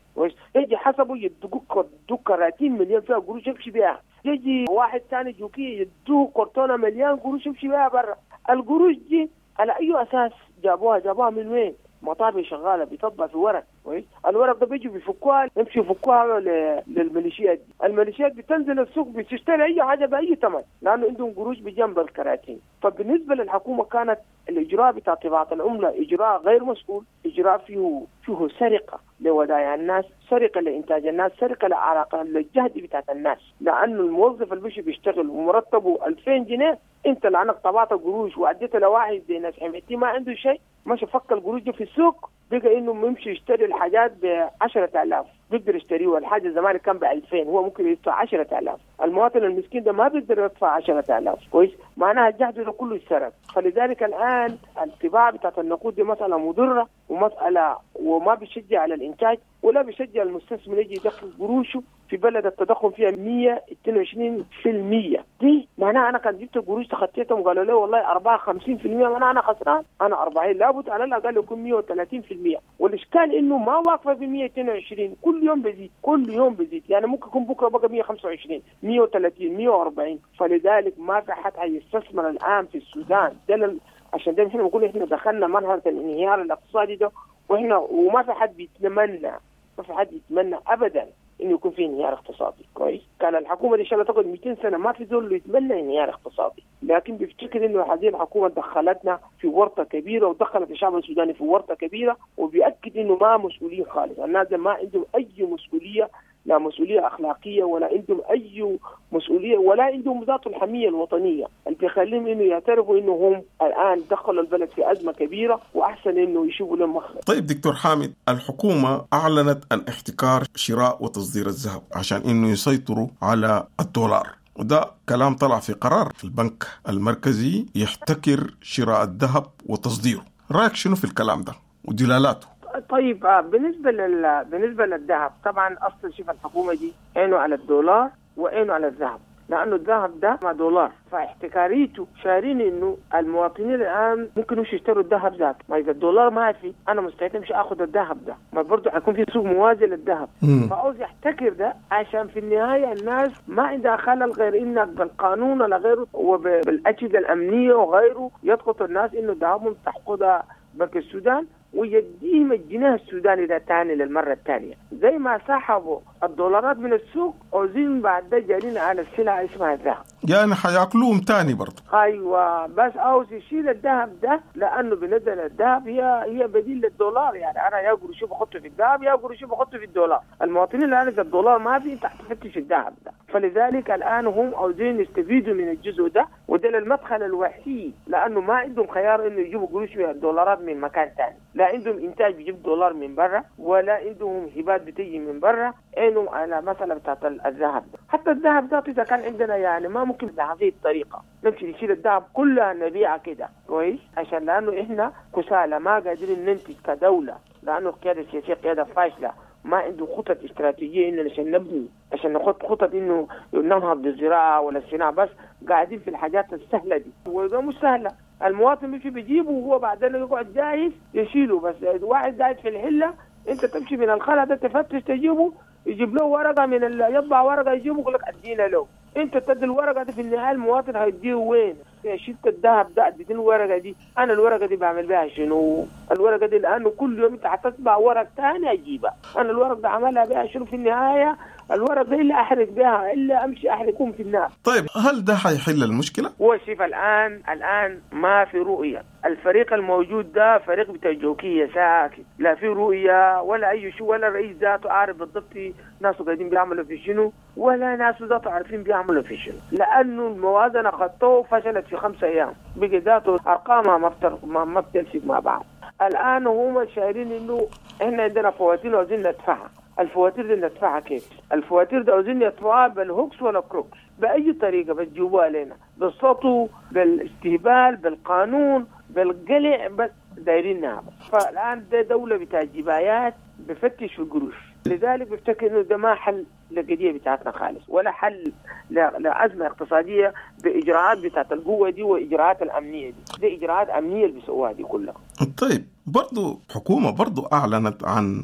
يجي حسبه يدوك كراتين مليان فيها قروش يمشي بيها، يجي واحد ثاني جوكي يدوه كرتونة مليان قروش يمشي بيها برا. القروش دي على أي أساس جابوها؟ جابوها من وين؟ مطابع شغالة بتطبع في ورق، كويس. الورق ده بيجوا بيفكوها، يمشوا يفكوها للميليشيات دي، الميليشيات بتنزل السوق بتشتري اي حاجة باي ثمن لانه عندهم قروش بجنب الكراتين. فبالنسبه للحكومة كانت الاجراء بتاع طباعه العملة اجراء غير مسؤول، اجراء فيه فيه سرقه لودائع الناس، سرقه لانتاج الناس، سرقه لعلاقة للجهد بتاعت الناس، لانه الموظف اللي بيجي بيشتغل ومرتبة ألفين جنيه، انت لانك طبعت قروش واديت لواحد زي ناس حميتي ما عنده شيء، ماشي فك القروش دي في السوق، بقى انه يمشي يشتري الحاجات ب عشرة آلاف بيقدر يشتريها، الحاجة زمان كان ب ألفين هو ممكن يدفع عشرة آلاف، المواطن المسكين ده ما بيقدر يدفع عشرة آلاف، كويس، معناها الجهد ده كله اتسرق. فلذلك الان الطباعة بتاعت النقود دي مسالة مضرة ومسالة وما بيشجع على الانتاج ولا بيشجع المستثمر يجي يدخل قروشه في بلد التضخم فيها مية واثنين وعشرين بالمية، دي معناها انا كان جبت القروش تخطيتهم وقالوا لي والله أربعة وخمسين بالمية معناها انا خسران، انا أربعين لابد على الاقل يكون مية وثلاثين بالمية، والاشكال انه ما واقفة في مية واثنين وعشرين، كل يوم بزيد كل يوم بزيد، يعني ممكن يكون بكره بقى مية وخمسة وعشرين مية وثلاثين مية وأربعين. فلذلك ما في حد حيستثمر الان في السودان ده، عشان ده احنا بنقول احنا دخلنا مرحلة الانهيار الاقتصادي ده، واحنا وما في حد بيتمنى، ما في حد يتمنى ابدا انه يكون في انهيار اقتصادي، كويس. كان الحكومة دي ان شاء الله تقعد مئتين سنة ما في زول يتمنى انهيار اقتصادي، لكن بيفتكر انه هذه الحكومة دخلتنا في ورطة كبيرة ودخلت الشعب السوداني في ورطة كبيرة، وبيأكد انه ما مسؤولين خالص، الناس ما عندهم اي مسؤولية، لا مسؤولية اخلاقية ولا عندهم اي مسؤولية ولا عندهم ذات الحمية الوطنية اللي بيخليهم انه يعترفوا انه هم الان دخلوا البلد في ازمة كبيرة واحسن انه يشوفوا لهم مخرج. طيب دكتور حامد، الحكومة اعلنت عن احتكار شراء وتصدير الذهب عشان انه يسيطروا على الدولار، وده كلام طلع في قرار البنك المركزي يحتكر شراء الذهب وتصديره، رايك شنو في الكلام ده ودلالاته؟ طيب بالنسبة لل بالنسبة للذهب طبعا اصلا شوف الحكومة دي عينه على الدولار وعينه على الذهب، لانه الذهب ده مع دولار، فاحتكاريته شارين انه المواطنين الان ممكن يمشوا يشتروا الذهب ذاته، ما اذا الدولار ما في انا مستعد امشي اخذ الذهب ده، ما برضه حيكون في سوق موازي للذهب، فعاوز يحتكر ده عشان في النهاية الناس ما عندها خلل غير انك بالقانون ولا غيره وبالاجهزه الامنية وغيره يضغط الناس انه ذهبهم تحقدها بنك السودان ويديهم الجنيه السوداني ده تاني للمرة الثانية، زي ما سحبوا الدولارات من السوق عاوزين بعد ده جارين على السلعة اسمها الذهب، يعني حياكلوهم تاني برضه. ايوه بس عاوز يشيل الذهب ده لانه بالنسبة للذهب هي هي بديل للدولار، يعني انا يا قروشي بحطه في الذهب يا قروشي بحطه في الدولار، المواطنين الان اذا الدولار ما في انت حتفتش الذهب ده، فلذلك الان هم عاوزين يستفيدوا من الجزء ده، وده المدخل الوحيد لانه ما عندهم خيار انه يجيبوا قروش من الدولارات من مكان ثاني، لا عندهم انتاج بيجيب دولار من برا ولا عندهم هبات بتيجي من برا، عينهم على مسألة بتاعت الذهب ده. حتى الذهب ذاته اذا كان عندنا يعني ما ممكن بهذه الطريقة نمشي نشيل الذهب كلها نبيعه كده، كويس، عشان لانه احنا كسالى ما قادرين ننتج كدولة، لانه القيادة السياسية قيادة فاشلة، ما عنده خطط استراتيجية انه عشان نبني، عشان نخط خطط انه ننهض بالزراعة ولا الصناعة، بس قاعدين في الحاجات السهلة دي، وده مش سهلة، المواطن بيمشي بيجيبه وهو بعدين يقعد جاهز يشيله، بس واحد قاعد في الحلة انت تمشي من الخلا ده تفتش تجيبه، يجيب له ورقة من ال... يطبع ورقة يجيبه يقول لك ادينا له، انت تدي الورقة دي في النهاية المواطن هيديه وين؟ شلت الذهب ده اديتني الورقة دي، انا الورقة دي بعمل بها شنو؟ الورقة دي لانه كل يوم انت حتطبع ورق ثاني اجيبها، انا الورق ده عملها بها شنو في النهاية؟ الورق ده الا احرق بها الا امشي احرقهم في النار. طيب هل ده حيحل المشكلة؟ هو شوف الان الان ما في رؤية، الفريق الموجود ده فريق بتاع جوكيه ساكت، لا في رؤية ولا اي شيء، ولا الرئيس ذاته عارف بالضبط ناسه قاعدين بيعملوا في شنو، ولا ناسه ذاته عارفين بيعملوا في شنو، لانه الموازنة خطوة فشلت في خمسة ايام، بقي ذاته ارقامها ما بتر... ما بتلفق مع بعض. الان هم شايرين انه احنا عندنا فواتير وعاوزين ندفعها، الفواتير دي ندفعها كيف؟ الفواتير دي عاوزين يدفعوها بال hoax ولا crooks، بأي طريقة بتجيبوها لنا، بالسطو، بالاستهبال، بالقانون، بالقلع، بس دايرينها بس. فالآن ده دولة بتاع جبايات بفتش في القروش، لذلك بفتكر إنه ده ما حل للقضية بتاعتنا خالص، ولا حل لأزمة اقتصادية بإجراءات بتاعت القوة دي وإجراءات الأمنية دي، دي إجراءات أمنية اللي بيسووها دي كلها. طيب برضو حكومة برضو أعلنت عن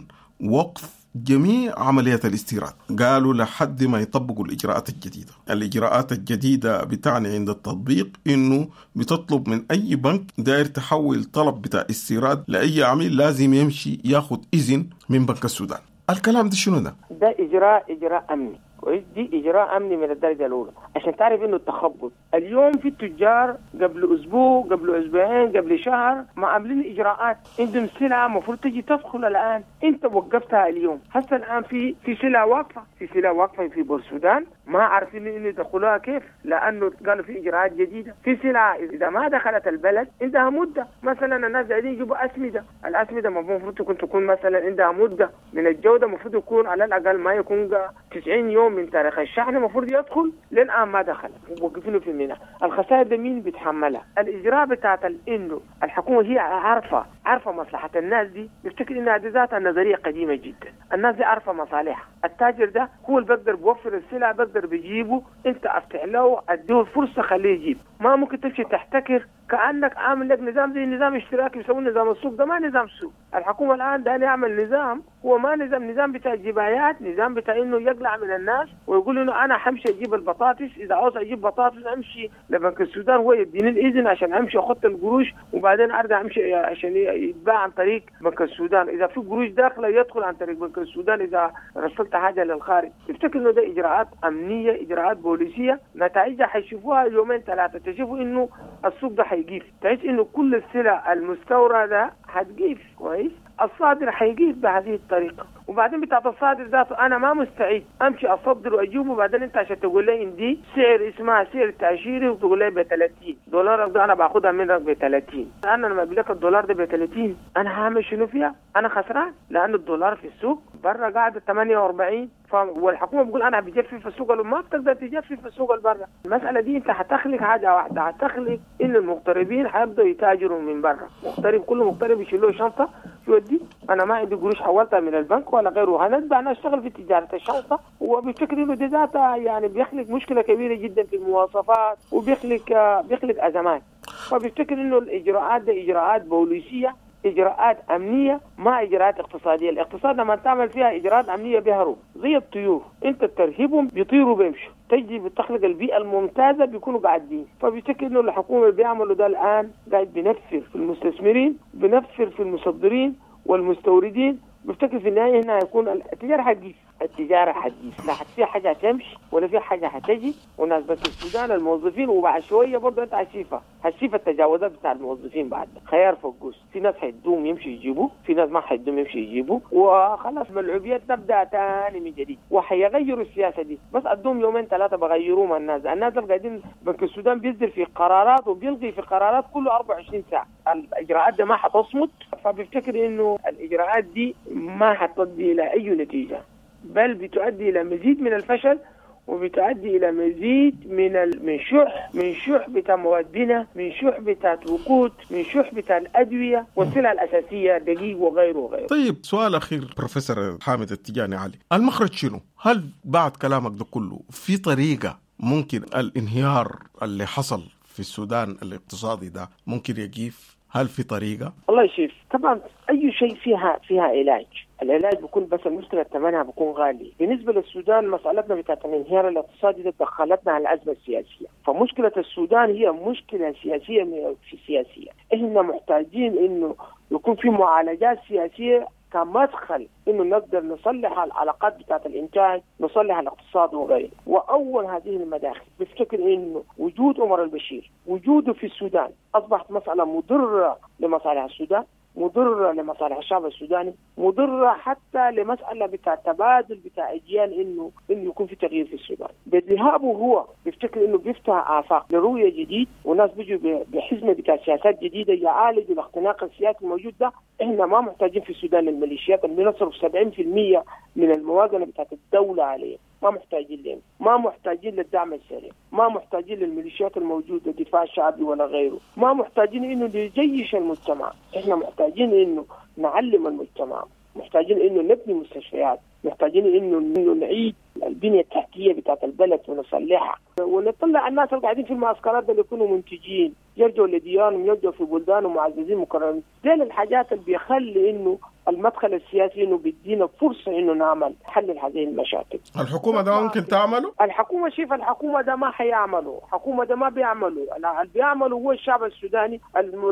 وقف جميع عمليات الاستيراد، قالوا لحد ما يطبقوا الإجراءات الجديدة. الإجراءات الجديدة بتعني عند التطبيق إنه بتطلب من أي بنك داير تحول طلب بتاع استيراد لأي عميل لازم يمشي ياخد إذن من بنك السودان. الكلام ده شنو ده؟ ده إجراء إجراء أمني، كويس؟ دي إجراء أمني من الدرجة الأولى عشان تعرف إنه التخبط اليوم في التجار قبل أسبوع، قبل أسبوعين، قبل شهر ما عاملين إجراءات، عندهم سلعة المفروض تجي تدخل الآن، أنت وقفتها اليوم. هسه الآن في في سلعة واقفة، في سلعة واقفة في بورسودان ما عارفين إنه يدخلوها كيف، لأنه قالوا في إجراءات جديدة. في سلعة إذا ما دخلت البلد عندها مدة، مثلا الناس قاعدين يجيبوا أسمدة، الأسمدة المفروض تكون تكون مثلا عندها مدة من الجودة، المفروض يكون على الأقل ما يكون تسعين يوم من تاريخ الشحن المفروض يدخل، للآن ما دخل، وقفينه في الميناء. الخسائر ده مين بيتحملها؟ الإجراء بتاعت إنه الحكومة هي عارفة عارفة مصلحة الناس دي، بيفتكر إنها دي ذاتها نظرية قديمة جدا. الناس دي عارفة مصالحها، التاجر ده هو اللي بقدر بيوفر السلع، بقدر بيجيبه، أنت أفتح له أديه الفرصة خليه يجيب. ما ممكن تمشي تحتكر كأنك عامل لك نظام زي نظام اشتراكي بيسموه نظام السوق، ده ما نظام سوق. الحكومة الآن ده يعمل نظام هو ما نظام، نظام بتاع جبايات، نظام بتاع إنه يقلع من الناس ويقول إنه أنا حمشي أجيب البطاطس، إذا عاوز أجيب بطاطس أمشي لبنك السودان هو يديني الإذن عشان أمشي أخط القروش، وبعدين أرجع أمشي عشان يتباع عن طريق بنك السودان، إذا في قروش داخلة يدخل عن طريق بنك السودان إذا رسلت حاجة للخارج. تفتكر إنه ده إجراءات أمنية، إجراءات بوليسية، نتائجها حيشوفوها يومين ثلاثة، تشوفوا إنه السوق ده حيقيف، تحس إنه كل السلع المستوردة حتقيف، كويس؟ الصادر حيقيف بهذه الطريقة. وبعدين بتاعت الصادر ذاته أنا ما مستعد أمشي أصدر وأجيبه، وبعدين أنت عشان تقول لي إن دي سعر اسمها سعر تأشيري وتقول لي ب ثلاثين دولار، ده أنا باخدها منك ب ثلاثين، أنا لما بلك الدولار ده ب ثلاثين أنا هعمل شنو فيها؟ أنا خسران، لأن الدولار في السوق برا قاعد ثمانية وأربعين، والحكومة بتقول أنا بجفف السوق، ما بتقدر تجفف السوق البرا. المسألة دي أنت هتخلق حاجة واحدة، هتخلق إن المغتربين هيبدأوا يتاجروا من برا، مغترب كل مغترب يشيل له شنطة يودي، أنا ما عندي قروش حولتها من البنك ولا غيره، هنتبع أنا أشتغل في تجارة الشنطة. وبفكر إنه دي ذاتها يعني بيخلق مشكلة كبيرة جدا في المواصفات، وبيخلق بيخلق أزمات. فبيفتكر إنه الإجراءات دي إجراءات بوليسية، إجراءات أمنية، ما إجراءات اقتصادية. الاقتصاد لما تعمل فيها إجراءات أمنية بيهرب زي الطيور، أنت ترهبهم بيطيروا بيمشوا، تجي بتخلق البيئة الممتازة بيكونوا قاعدين. فبيفتكر إنه الحكومة بيعملوا ده الآن قاعد بنفر في المستثمرين، بنفر في المصدرين والمستوردين. بفتكر في النهاية هنا هيكون التجارة حتجيف، التجارة حتجيف، لا في حاجة هتمشي ولا في حاجة هتجي. وناس بنك السودان الموظفين، وبعد شوية برضه أنت هتشوفها هتشوف التجاوزات بتاع الموظفين بعد خيار فقوس، في ناس حيدوم يمشي يجيبوا، في ناس ما حيدوم يمشي يجيبوا، وخلاص ملعوبيات تبدأ تاني من جديد. وحيغيروا السياسة دي، بس أدوم يومين ثلاثة بغيروه مع الناس. الناس اللي قاعدين بنك السودان بيصدر في قرارات وبيلغي في قرارات كل أربعة وعشرين ساعة، الإجراءات دي ما حتصمت. فبفتكر إنه الإجراءات دي ما حتؤدي إلى أي نتيجة، بل بتؤدي إلى مزيد من الفشل، وبتؤدي إلى مزيد من ال... من شح من شح بتاع مواد بناء، من شح بتاع وقود، من شح بتاع الأدوية والسلع الأساسية دقيق وغيره وغيره. طيب سؤال أخير بروفيسور حامد التجاني علي، المخرج شنو؟ هل بعد كلامك ده كله في طريقة ممكن الانهيار اللي حصل في السودان الاقتصادي ده ممكن يقيف؟ هل في طريقة؟ الله يشيف. طبعا أي شيء فيها فيها علاج، العلاج بيكون بس المشكلة ثمنها بيكون غالي. بالنسبة للسودان مسألتنا بتاعت الانهيار الاقتصادي ده دخلتنا على الأزمة السياسية، فمشكلة السودان هي مشكلة سياسية في سياسية، إحنا محتاجين إنه يكون في معالجات سياسية كمدخل إنه نقدر نصلح العلاقات بتاعت الإنتاج، نصلح الاقتصاد وغيره. وأول هذه المداخل بفتكر إنه وجود عمر البشير، وجوده في السودان أصبحت مسألة مضرة لمصالح السودان، مضرة لمصالح الشعب السوداني، مضرة حتى لمسألة بتاع تبادل بتاع أجيال إنه إنه يكون في تغيير في السودان. بذهابه هو بيفتكر إنه بيفتح آفاق لرؤية جديد، وناس بيجوا بحزمة بتاع سياسات جديدة يعالجوا الاختناق السياسي الموجود ده. إحنا ما محتاجين في السودان الميليشيات اللي بنصرف سبعين بالمية من الموازنة بتاعت الدولة عليه، ما محتاجين لهم، ما محتاجين للدعم السريع، ما محتاجين للميليشيات الموجودة دفاع شعبي ولا غيره، ما محتاجين إنه نجيش المجتمع، إحنا محتاجين إنه نعلم المجتمع، محتاجين إنه نبني مستشفيات، محتاجين إنه إنه نعيد البنية التحتية بتاعت البلد ونصلحها. ونطلع الناس اللي قاعدين في المعسكرات اللي يكونوا منتجين، يرجعوا لديارهم، يرجعوا في بلدانهم معززين مكرمين. دي الحاجات اللي بيخلي انه المدخل السياسي انه بيدينا فرصة انه نعمل حل هذه المشاكل. الحكومة ده ممكن تعمله؟ الحكومة شوف الحكومة ده ما حيعمله، الحكومة ده ما بيعملوا، اللي بيعمله هو الشعب السوداني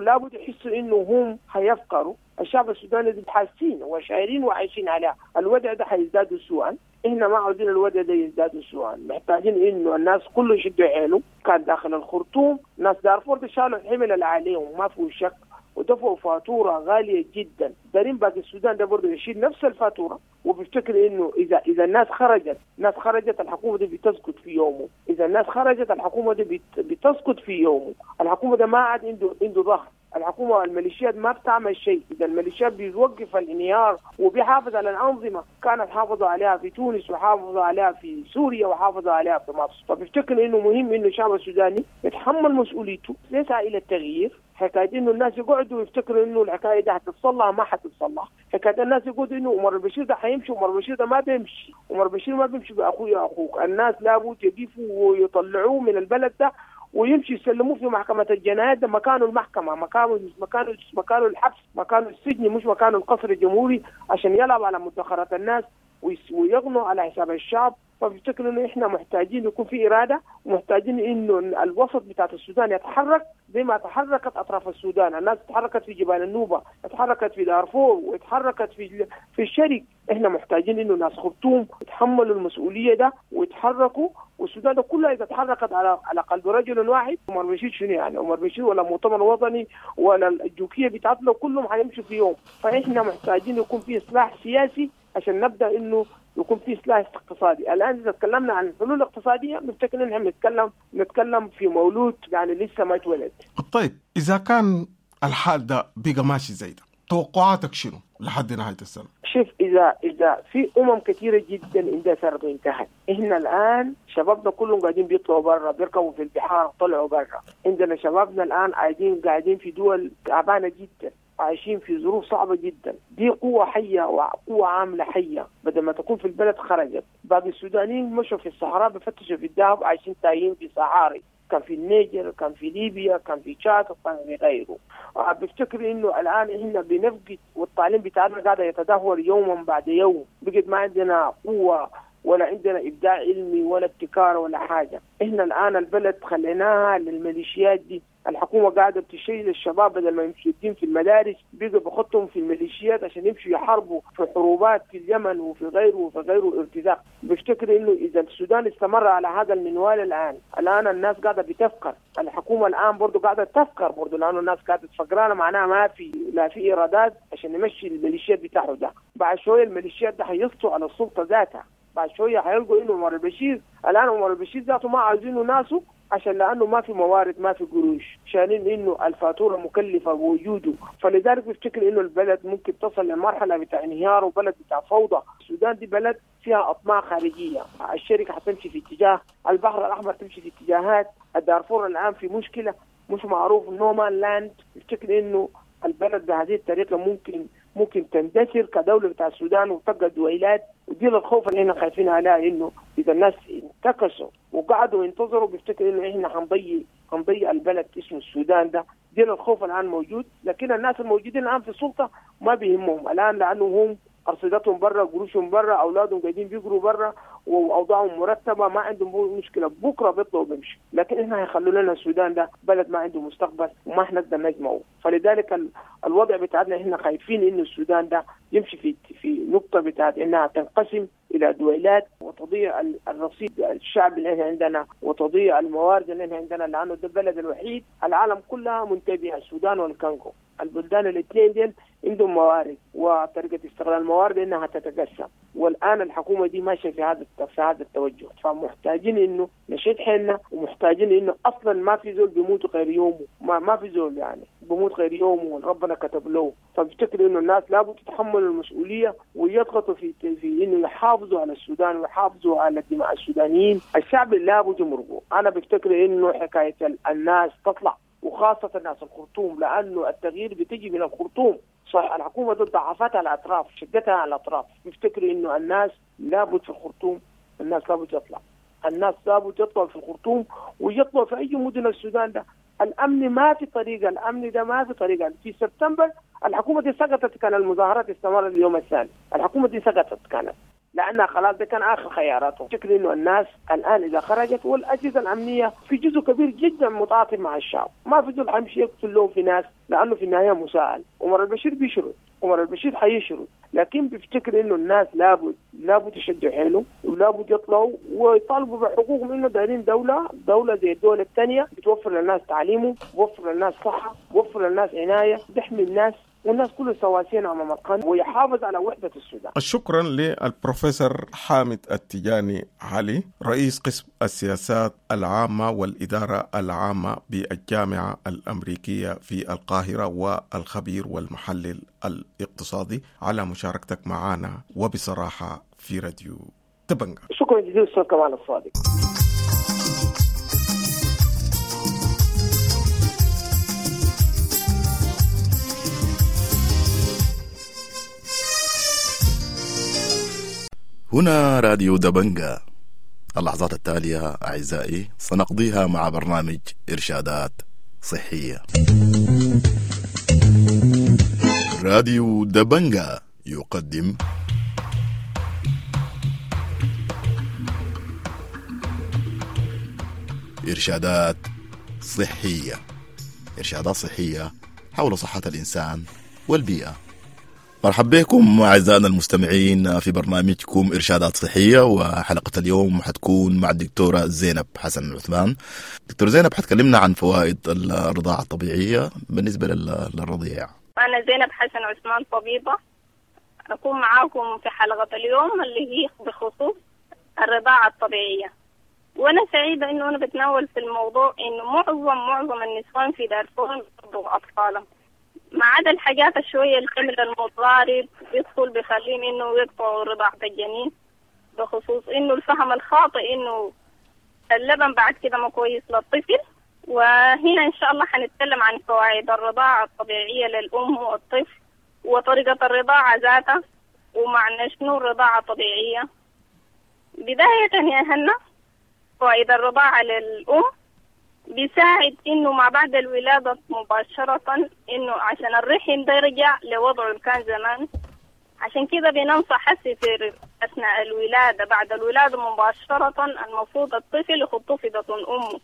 لابد يحسوا انه هم حيفقروا، الشعب السوداني حاسين وشاعرين وعايشين عليها، الوضع ده حيزداد سوءا، احنا ما عاوزين الوضع ده يزداد سوءا، محتاجين انه الناس كله يشدوا حيله، كان داخل الخرطوم، ناس دارفور شالوا الحمل اللي عليهم ما فيه شك، ودفعوا فاتورة غالية جدا، دارين باقي السودان ده برضه يشيل نفس الفاتورة، وبيفتكر انه اذا اذا الناس خرجت، الناس خرجت الحكومة دي بتسقط في يومه، اذا الناس خرجت الحكومة دي بتسقط في يومه، الحكومة ده ما عاد عنده عنده ظهر، الحكومة الميليشيات ما بتعمل شيء، اذا الميليشيات بيوقف الانهيار وبيحافظ على الانظمة، كانت حافظوا عليها في تونس وحافظوا عليها في سوريا وحافظوا عليها في مصر، فبيفتكر انه مهم انه الشعب السوداني يتحمل مسؤوليته، يسعى الى التغيير. حكاية انه الناس يقعدوا يفتكروا انه الحكاية دي حتتصلح ما حتتصلح، حكاية الناس يقولوا انه عمر البشير ده حيمشي، عمر البشير ده ما بيمشي، عمر البشير ما بيمشي باخوي اخوك، الناس لابد يقفوا ويطلعوه من البلد ده ويمشي يسلموه في محكمة الجنايات، ده مكانه المحكمة، مكانه مكانه مكانه الحبس، مكانه السجن، مش مكانه القصر الجمهوري عشان يلعب على مدخرات الناس ويغنوا على حساب الشعب. فبفتكر انه احنا محتاجين يكون في اراده، ومحتاجين انه الوسط بتاعت السودان يتحرك زي ما تحركت اطراف السودان، الناس تحركت في جبال النوبة، تحركت في دارفور، وتحركت في في الشرق، احنا محتاجين انه ناس خرطوم يتحملوا المسؤولية ده ويتحركوا، والسودان ده كلها اذا تحركت على على قلب رجل واحد، عمر بشير شنو يعني؟ عمر بشير ولا مؤتمر وطني ولا الجوكيه بتاعتنا كلهم حيمشوا في يوم، فاحنا محتاجين يكون في اصلاح سياسي عشان نبدا انه يكون في اصلاح اقتصادي. الان اذا تكلمنا عن الحلول الاقتصادية بنفتكر ان احنا بنتكلم نتكلم في مولود يعني لسه ما اتولد. طيب اذا كان الحال ده بقى ماشي زي ده، توقعاتك شنو لحد نهاية السنة؟ شوف اذا اذا في امم كثيرة جدا اندثرت وانتهت، احنا الان شبابنا كلهم قاعدين بيطلعوا برا، بيركبوا في البحار طلعوا برا، عندنا شبابنا الان قاعدين قاعدين في دول تعبانة جدا، عايشين في ظروف صعبة جدا، دي قوة حية وقوة عاملة حية، بدل ما تكون في البلد خرجت، باقي السودانيين مشوا في الصحراء بفتشوا في الذهب، عايشين تايهين في صحاري، كان في النيجر، كان في ليبيا، كان في تشاد، وكان في غيره. بفتكر انه الان احنا بنفقد، والتعليم بتاعنا قاعد يتدهور يوما بعد يوم، بقت ما عندنا قوة ولا عندنا ابداع علمي ولا ابتكار ولا حاجة، احنا الان البلد خليناها للميليشيات دي، الحكومة قاعدة بتشيل الشباب بدل ما يمشوا الدين في المدارس بيقوا بخطهم في الميليشيات عشان يمشوا يحاربوا في حروبات في اليمن وفي غيره وفي غيره ارتزاق. بفتكر انه اذا السودان استمر على هذا المنوال الان، الان الناس قاعدة بتفكر، الحكومة الان برضه قاعدة تفكر برضه، لانه الناس قاعدة تفكرانه معناها ما في لا في ايرادات عشان نمشي الميليشيات بتاعه ده، بعد شوية الميليشيات ده حيسطوا على السلطة ذاتها، بعد شوية حيلقوا انه عمر البشير الان عمر البشير ذاته ما عايزينه ناسه عشان لانه ما في موارد ما في قروش، شايلين انه الفاتورة مكلفة بوجوده، فلذلك بفتكر انه البلد ممكن تصل لمرحلة بتاع انهيار وبلد بتاع فوضى. السودان دي بلد فيها اطماع خارجية، الشركة حتمشي في اتجاه، البحر الاحمر تمشي في اتجاهات، الدارفور الان في مشكلة مش معروف no man land. بفتكر انه البلد بهذه الطريقة ممكن ممكن تندثر كدولة بتاع السودان وتبقى دويلات، ودي الخوف اللي احنا خايفين عليها انه اذا الناس انتكسوا وقعدوا ينتظروا بيفتكروا انه احنا حنضيع حنضيع البلد اسمه السودان ده، دي الخوف الان موجود، لكن الناس الموجودين الان في السلطة ما بيهمهم الان لانه هم ارصدتهم برا، قروشهم برا، اولادهم قاعدين بيقروا برا، واوضاعهم مرتبه، ما عندهم مشكلة، بكره بيطلعوا بيمشوا، لكن احنا هيخلوا لنا السودان ده بلد ما عنده مستقبل وما حنقدر نجمعه، فلذلك الوضع بتاعنا احنا خايفين انه السودان ده يمشي في في نقطة بتاعت انها تنقسم الى دويلات وتضيع الرصيد الشعب اللي احنا عندنا وتضيع الموارد اللي احنا عندنا، لانه ده البلد الوحيد العالم كلها منتبهه، السودان والكونغو، البلدان الاثنين ديل عندهم موارد وطريقه استغلال الموارد انها تتقسم، والان الحكومة دي ماشية في هذا في هذا التوجه، فمحتاجين انه نشد حيلنا، ومحتاجين انه اصلا ما في زول بيموت غير يومه، ما ما في زول يعني بيموت غير يومه ربنا كتب له، فبفتكر انه الناس لابد تتحمل المسؤولية ويضغطوا في في انه يحافظوا على السودان ويحافظوا على دماء السودانيين، الشعب لابد يمرقوا، انا بفتكر انه حكاية الناس تطلع وخاصة ناس الخرطوم، لأنه التغيير بتجي من الخرطوم، صح الحكومة ضد ضعفتها على الأطراف، شدتها على الأطراف، بفتكر إنه الناس لابد في الخرطوم، الناس لابد تطلع، الناس لابد يطلعوا في الخرطوم ويطلعوا في اي مدن السودان ده. الامن ما في طريقه، الامن ده ما في طريقه. في سبتمبر الحكومة دي سقطت، كان المظاهرات استمرت اليوم الثاني، الحكومة دي سقطت كانت لانها خلاص ده كان اخر خياراتهم. شكل انه الناس الان اذا خرجت والاجهزة الامنية في جزء كبير جدا متعاطف مع الشعب، ما في زول حيمشي يقتل له في ناس لانه في النهاية مساءل. عمر البشير بيشرد، عمر البشير حيشرد، لكن بيفتكر انه الناس لابد لابد يشدوا حيلهم ولابد يطلعوا ويطالبوا بحقوقهم، انه دايرين دولة، دولة زي الدول الثانية بتوفر للناس تعليمه، بتوفر للناس صحة، بتوفر للناس عناية، بتحمي الناس، والناس كلها سواسيين امام القانون، ويحافظ على وحده السودان. شكرا للبروفيسور حامد التجاني علي، رئيس قسم السياسات العامة والادارة العامة بالجامعة الامريكية في القاهرة، والخبير والمحلل الاقتصادي، على مشاركتك معنا وبصراحة في راديو دبنجا. شكرا جزيلا استاذ كمال الصادق. هنا راديو دبنجا. اللحظات التالية أعزائي سنقضيها مع برنامج إرشادات صحية. راديو دبنجا يقدم إرشادات صحية، إرشادات صحية حول صحة الإنسان والبيئة. مرحبا بكم أعزائنا المستمعين في برنامجكم إرشادات صحية، وحلقة اليوم حتكون مع الدكتورة زينب حسن عثمان. دكتور زينب حتكلمنا عن فوائد الرضاعة الطبيعية بالنسبة للرضيع. أنا زينب حسن عثمان طبيبة، أكون معاكم في حلقة اليوم اللي هي بخصوص الرضاعة الطبيعية. وأنا سعيدة إنه أنا بتناول في الموضوع إنه معظم معظم النسوان في دارفور بيرضعوا أطفالهم، ما عدا الحاجات الشوية الحمل المتضارب بيدخل بيخليهم إنه يقطعوا رضاعة الجنين، بخصوص إنه الفهم الخاطئ إنه اللبن بعد كده ما كويس للطفل. وهنا إن شاء الله حنتكلم عن فوائد الرضاعة الطبيعية للأم والطفل، وطريقة الرضاعة ذاتها، ومعنى شنو الرضاعة الطبيعية. بداية يا هنا، فوائد الرضاعة للأم بيساعد إنه ما بعد الولادة مباشرة، إنه عشان الرحم ده يرجع لوضعه اللي كان زمان. عشان كده بننصح حسي في أثناء الولادة، بعد الولادة مباشرة المفروض الطفل يحطوه في بطن أمه.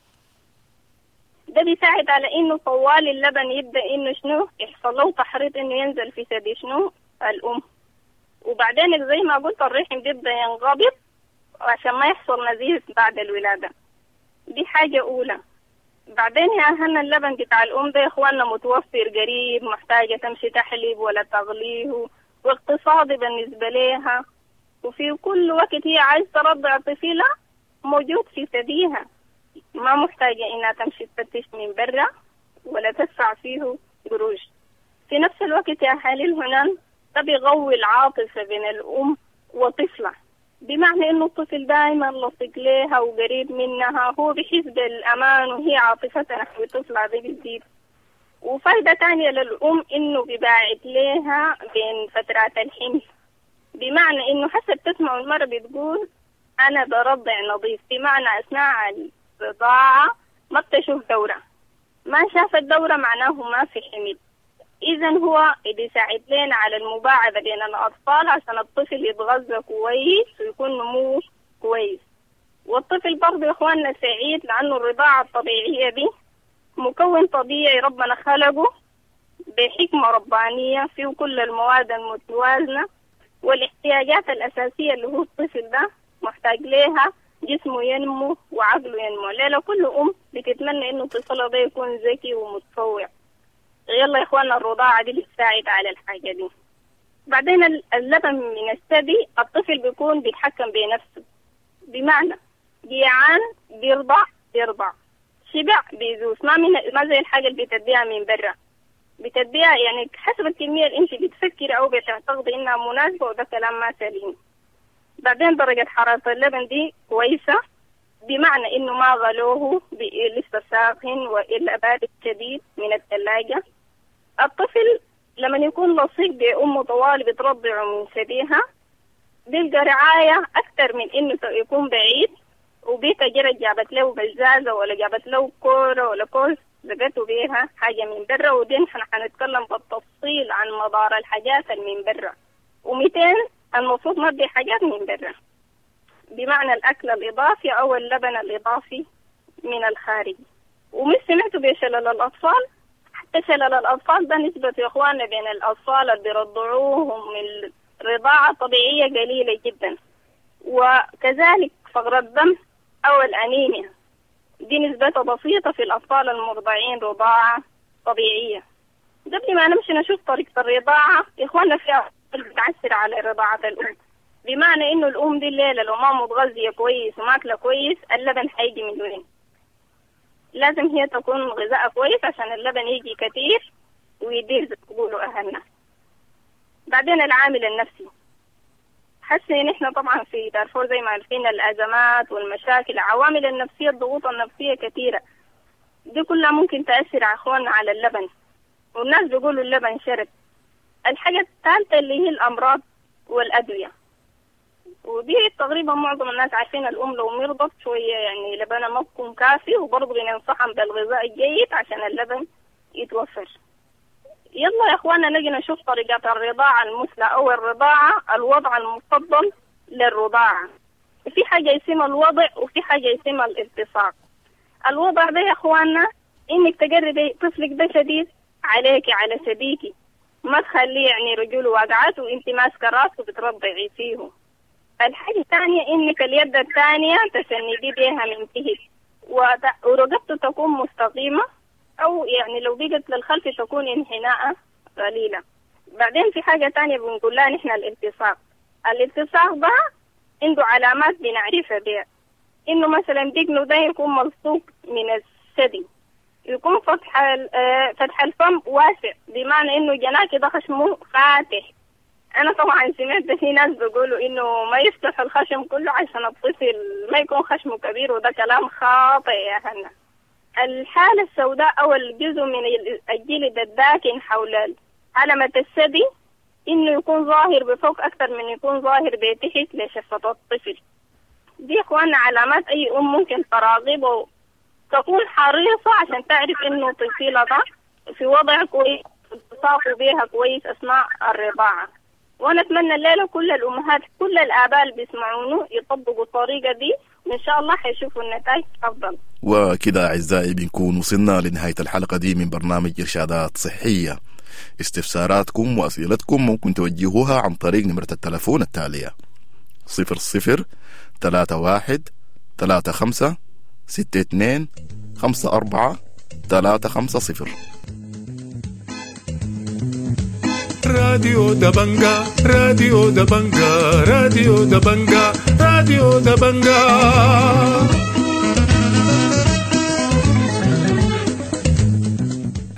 ده بيساعد على إنه طوال اللبن يبدأ إنه شنو يحصل له تحريض إنه ينزل في ثدي شنو الأم. وبعدين زي ما قلت الرحم بيبدأ ينقبض عشان ما يحصل نزيف بعد الولادة. دي حاجة أولى. بعدين يا أهلنا اللبن بتاع الأم ده يا إخواننا متوفر قريب، محتاجة تمشي تحليب ولا تغليه، واقتصادي بالنسبة لها، وفي كل وقت هي عايزة ترضع طفلها موجود في ثديها، ما محتاجة إنها تمشي تفتش من برا ولا تدفع فيه قروش. في نفس الوقت يا حالي هنا ده بيقوي العاطفة بين الأم وطفلها، بمعنى إنه الطفل دائما لصق لها وقريب منها، هو بيحس بالأمان وهي عاطفتها نحو طفلها دي بتزيد. وفايدة تانية للأم إنه بيباعد لها بين فترات الحمل، بمعنى إنه حسب تسمع المرة بتقول أنا برضع نظيف، بمعنى أثناء الرضاعة ما بتشوف دورة، ما شافت دورة معناه ما في حمل. إذن هو بيساعد لنا على المباعدة بين الأطفال عشان الطفل يتغذى كويس ويكون نموه كويس. والطفل برضه يا إخواننا سعيد لأنه الرضاعة الطبيعية دي مكون طبيعي ربنا خلقه بحكمة ربانية، فيه كل المواد المتوازنة والاحتياجات الأساسية اللي هو الطفل ده محتاج لها، جسمه ينمو وعقله ينمو. ليلة كل أم بتتمنى إنه طفلها ده يكون ذكي ومتفوق. يلا يا إخواننا الرضاعة دي بتساعد على الحاجة دي. بعدين اللبن من الثدي الطفل بيكون بيتحكم بنفسه، بمعنى جيعان بيرضع بيرضع، شبع بيزوس، ما من ما زي الحاجة اللي بتديها من برا، بتديها يعني حسب الكمية اللي انت بتفكري أو بتعتقدي إنها مناسبة، وده كلام ما سليم. بعدين درجة حرارة اللبن دي كويسة، بمعنى إنه ما غلوه لسه ساخن وإلا بارد شديد من الثلاجة. الطفل لما يكون لصيق بأمه طوال بترضعه من ثديها بيلقى رعاية أكثر من إنه يكون بعيد، وبيتا جرت جابت له بزازة ولا جابت له كورة ولا كوز لقيته بيها حاجة من برا. ودي نحن حنتكلم بالتفصيل عن مضار الحاجات من برا. ومئتين المفروض ما تدي حاجات من برا، بمعنى الأكل الإضافي أو اللبن الإضافي من الخارج. ومش سمعتوا بشلل الأطفال؟ حتى شلل الأطفال ده نسبة يا إخواننا بين الأطفال اللي بيرضعوهم من الرضاعة الطبيعية قليلة جدا. وكذلك فقر الدم أو الأنيميا دي نسبتها بسيطة في الأطفال المرضعين رضاعة طبيعية. قبل ما نمشي نشوف طريقة الرضاعة يا إخواننا، في أطفال بتعسر على رضاعة الأم، بمعنى إنه الأم دي الليلة لو ما متغذية كويس وماكلة كويس اللبن حيجي من وين؟ لازم هي تكون غذاء كويس عشان اللبن يجي كتير ويدير زي ما بيقولوا أهلنا. بعدين العامل النفسي، حاسة إن إحنا طبعا في دارفور زي ما عارفين الأزمات والمشاكل، العوامل النفسية الضغوط النفسية كثيرة، دي كلها ممكن تأثر على أخواننا على اللبن، والناس بيقولوا اللبن شرب. الحاجة الثالثة اللي هي الأمراض والأدوية، ودي تقريبا معظم الناس عارفين الأم لو مرضت شوية يعني لبنها ما بيكون كافي، وبرضه بننصحهم بالغذاء الجيد عشان اللبن يتوفر. يلا يا اخوانا نجي نشوف طريقة الرضاعة المثلى او الرضاعة، الوضع المفضل للرضاعة. في حاجة اسمها الوضع وفي حاجة اسمها الالتصاق. الوضع ده يا اخوانا انك تقربي طفلك ده شديد عليكي على شديكي، ما تخليه يعني رجوله واقعات وانت ماسكة راسه بترضعي فيه. الحاجة الثانية انك اليد الثانية تسندي بيها من تحت، ورقبته تكون مستقيمة، أو يعني لو بقت للخلف تكون انحناء قليلة. بعدين في حاجة تانية بنقول لها نحن الالتصاق. الالتصاق ده عنده علامات بنعرفها بها، إنه مثلا دقنه ده يكون ملصوق من الثدي، يكون فتح فتح الفم واسع، بمعنى إنه جناك ده خشمه فاتح. أنا طبعا سمعت في ناس بيقولوا إنه ما يفتح الخشم كله عشان الطفل ما يكون خشمه كبير، وده كلام خاطئ يا هنا. الحالة السوداء أو الجزء من الجلد الداكن حول علامة الثدي إنه يكون ظاهر بفوق أكثر من يكون ظاهر بتحت لشفة الطفل. دي إخواننا علامات أي أم ممكن تراقبه وتكون حريصة عشان تعرف إنه طفلها ده في وضع كويس، التصاقوا بيها كويس أثناء الرضاعة. وأنا أتمنى الليلة كل الأمهات كل الآباء اللي بيسمعونه يطبقوا الطريقة دي، وإن شاء الله حيشوفوا النتائج أفضل. وكده أعزائي بنكون وصلنا لنهاية الحلقة دي من برنامج إرشادات صحية. استفساراتكم وأسئلتكم ممكن توجهوها عن طريق نمرة التلفون التالية: صفر صفر ثلاثة واحد ثلاثة خمسة ستة اثنين خمسة أربعة ثلاثة خمسة صفر. راديو دبنجا، راديو دبنجا، راديو دبنجا، راديو دبنجا.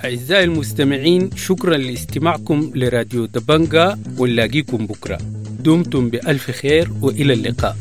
أعزائي المستمعين، شكرا لاستماعكم لراديو دبنجا، ونلاقيكم بكرة. دمتم بألف خير وإلى اللقاء.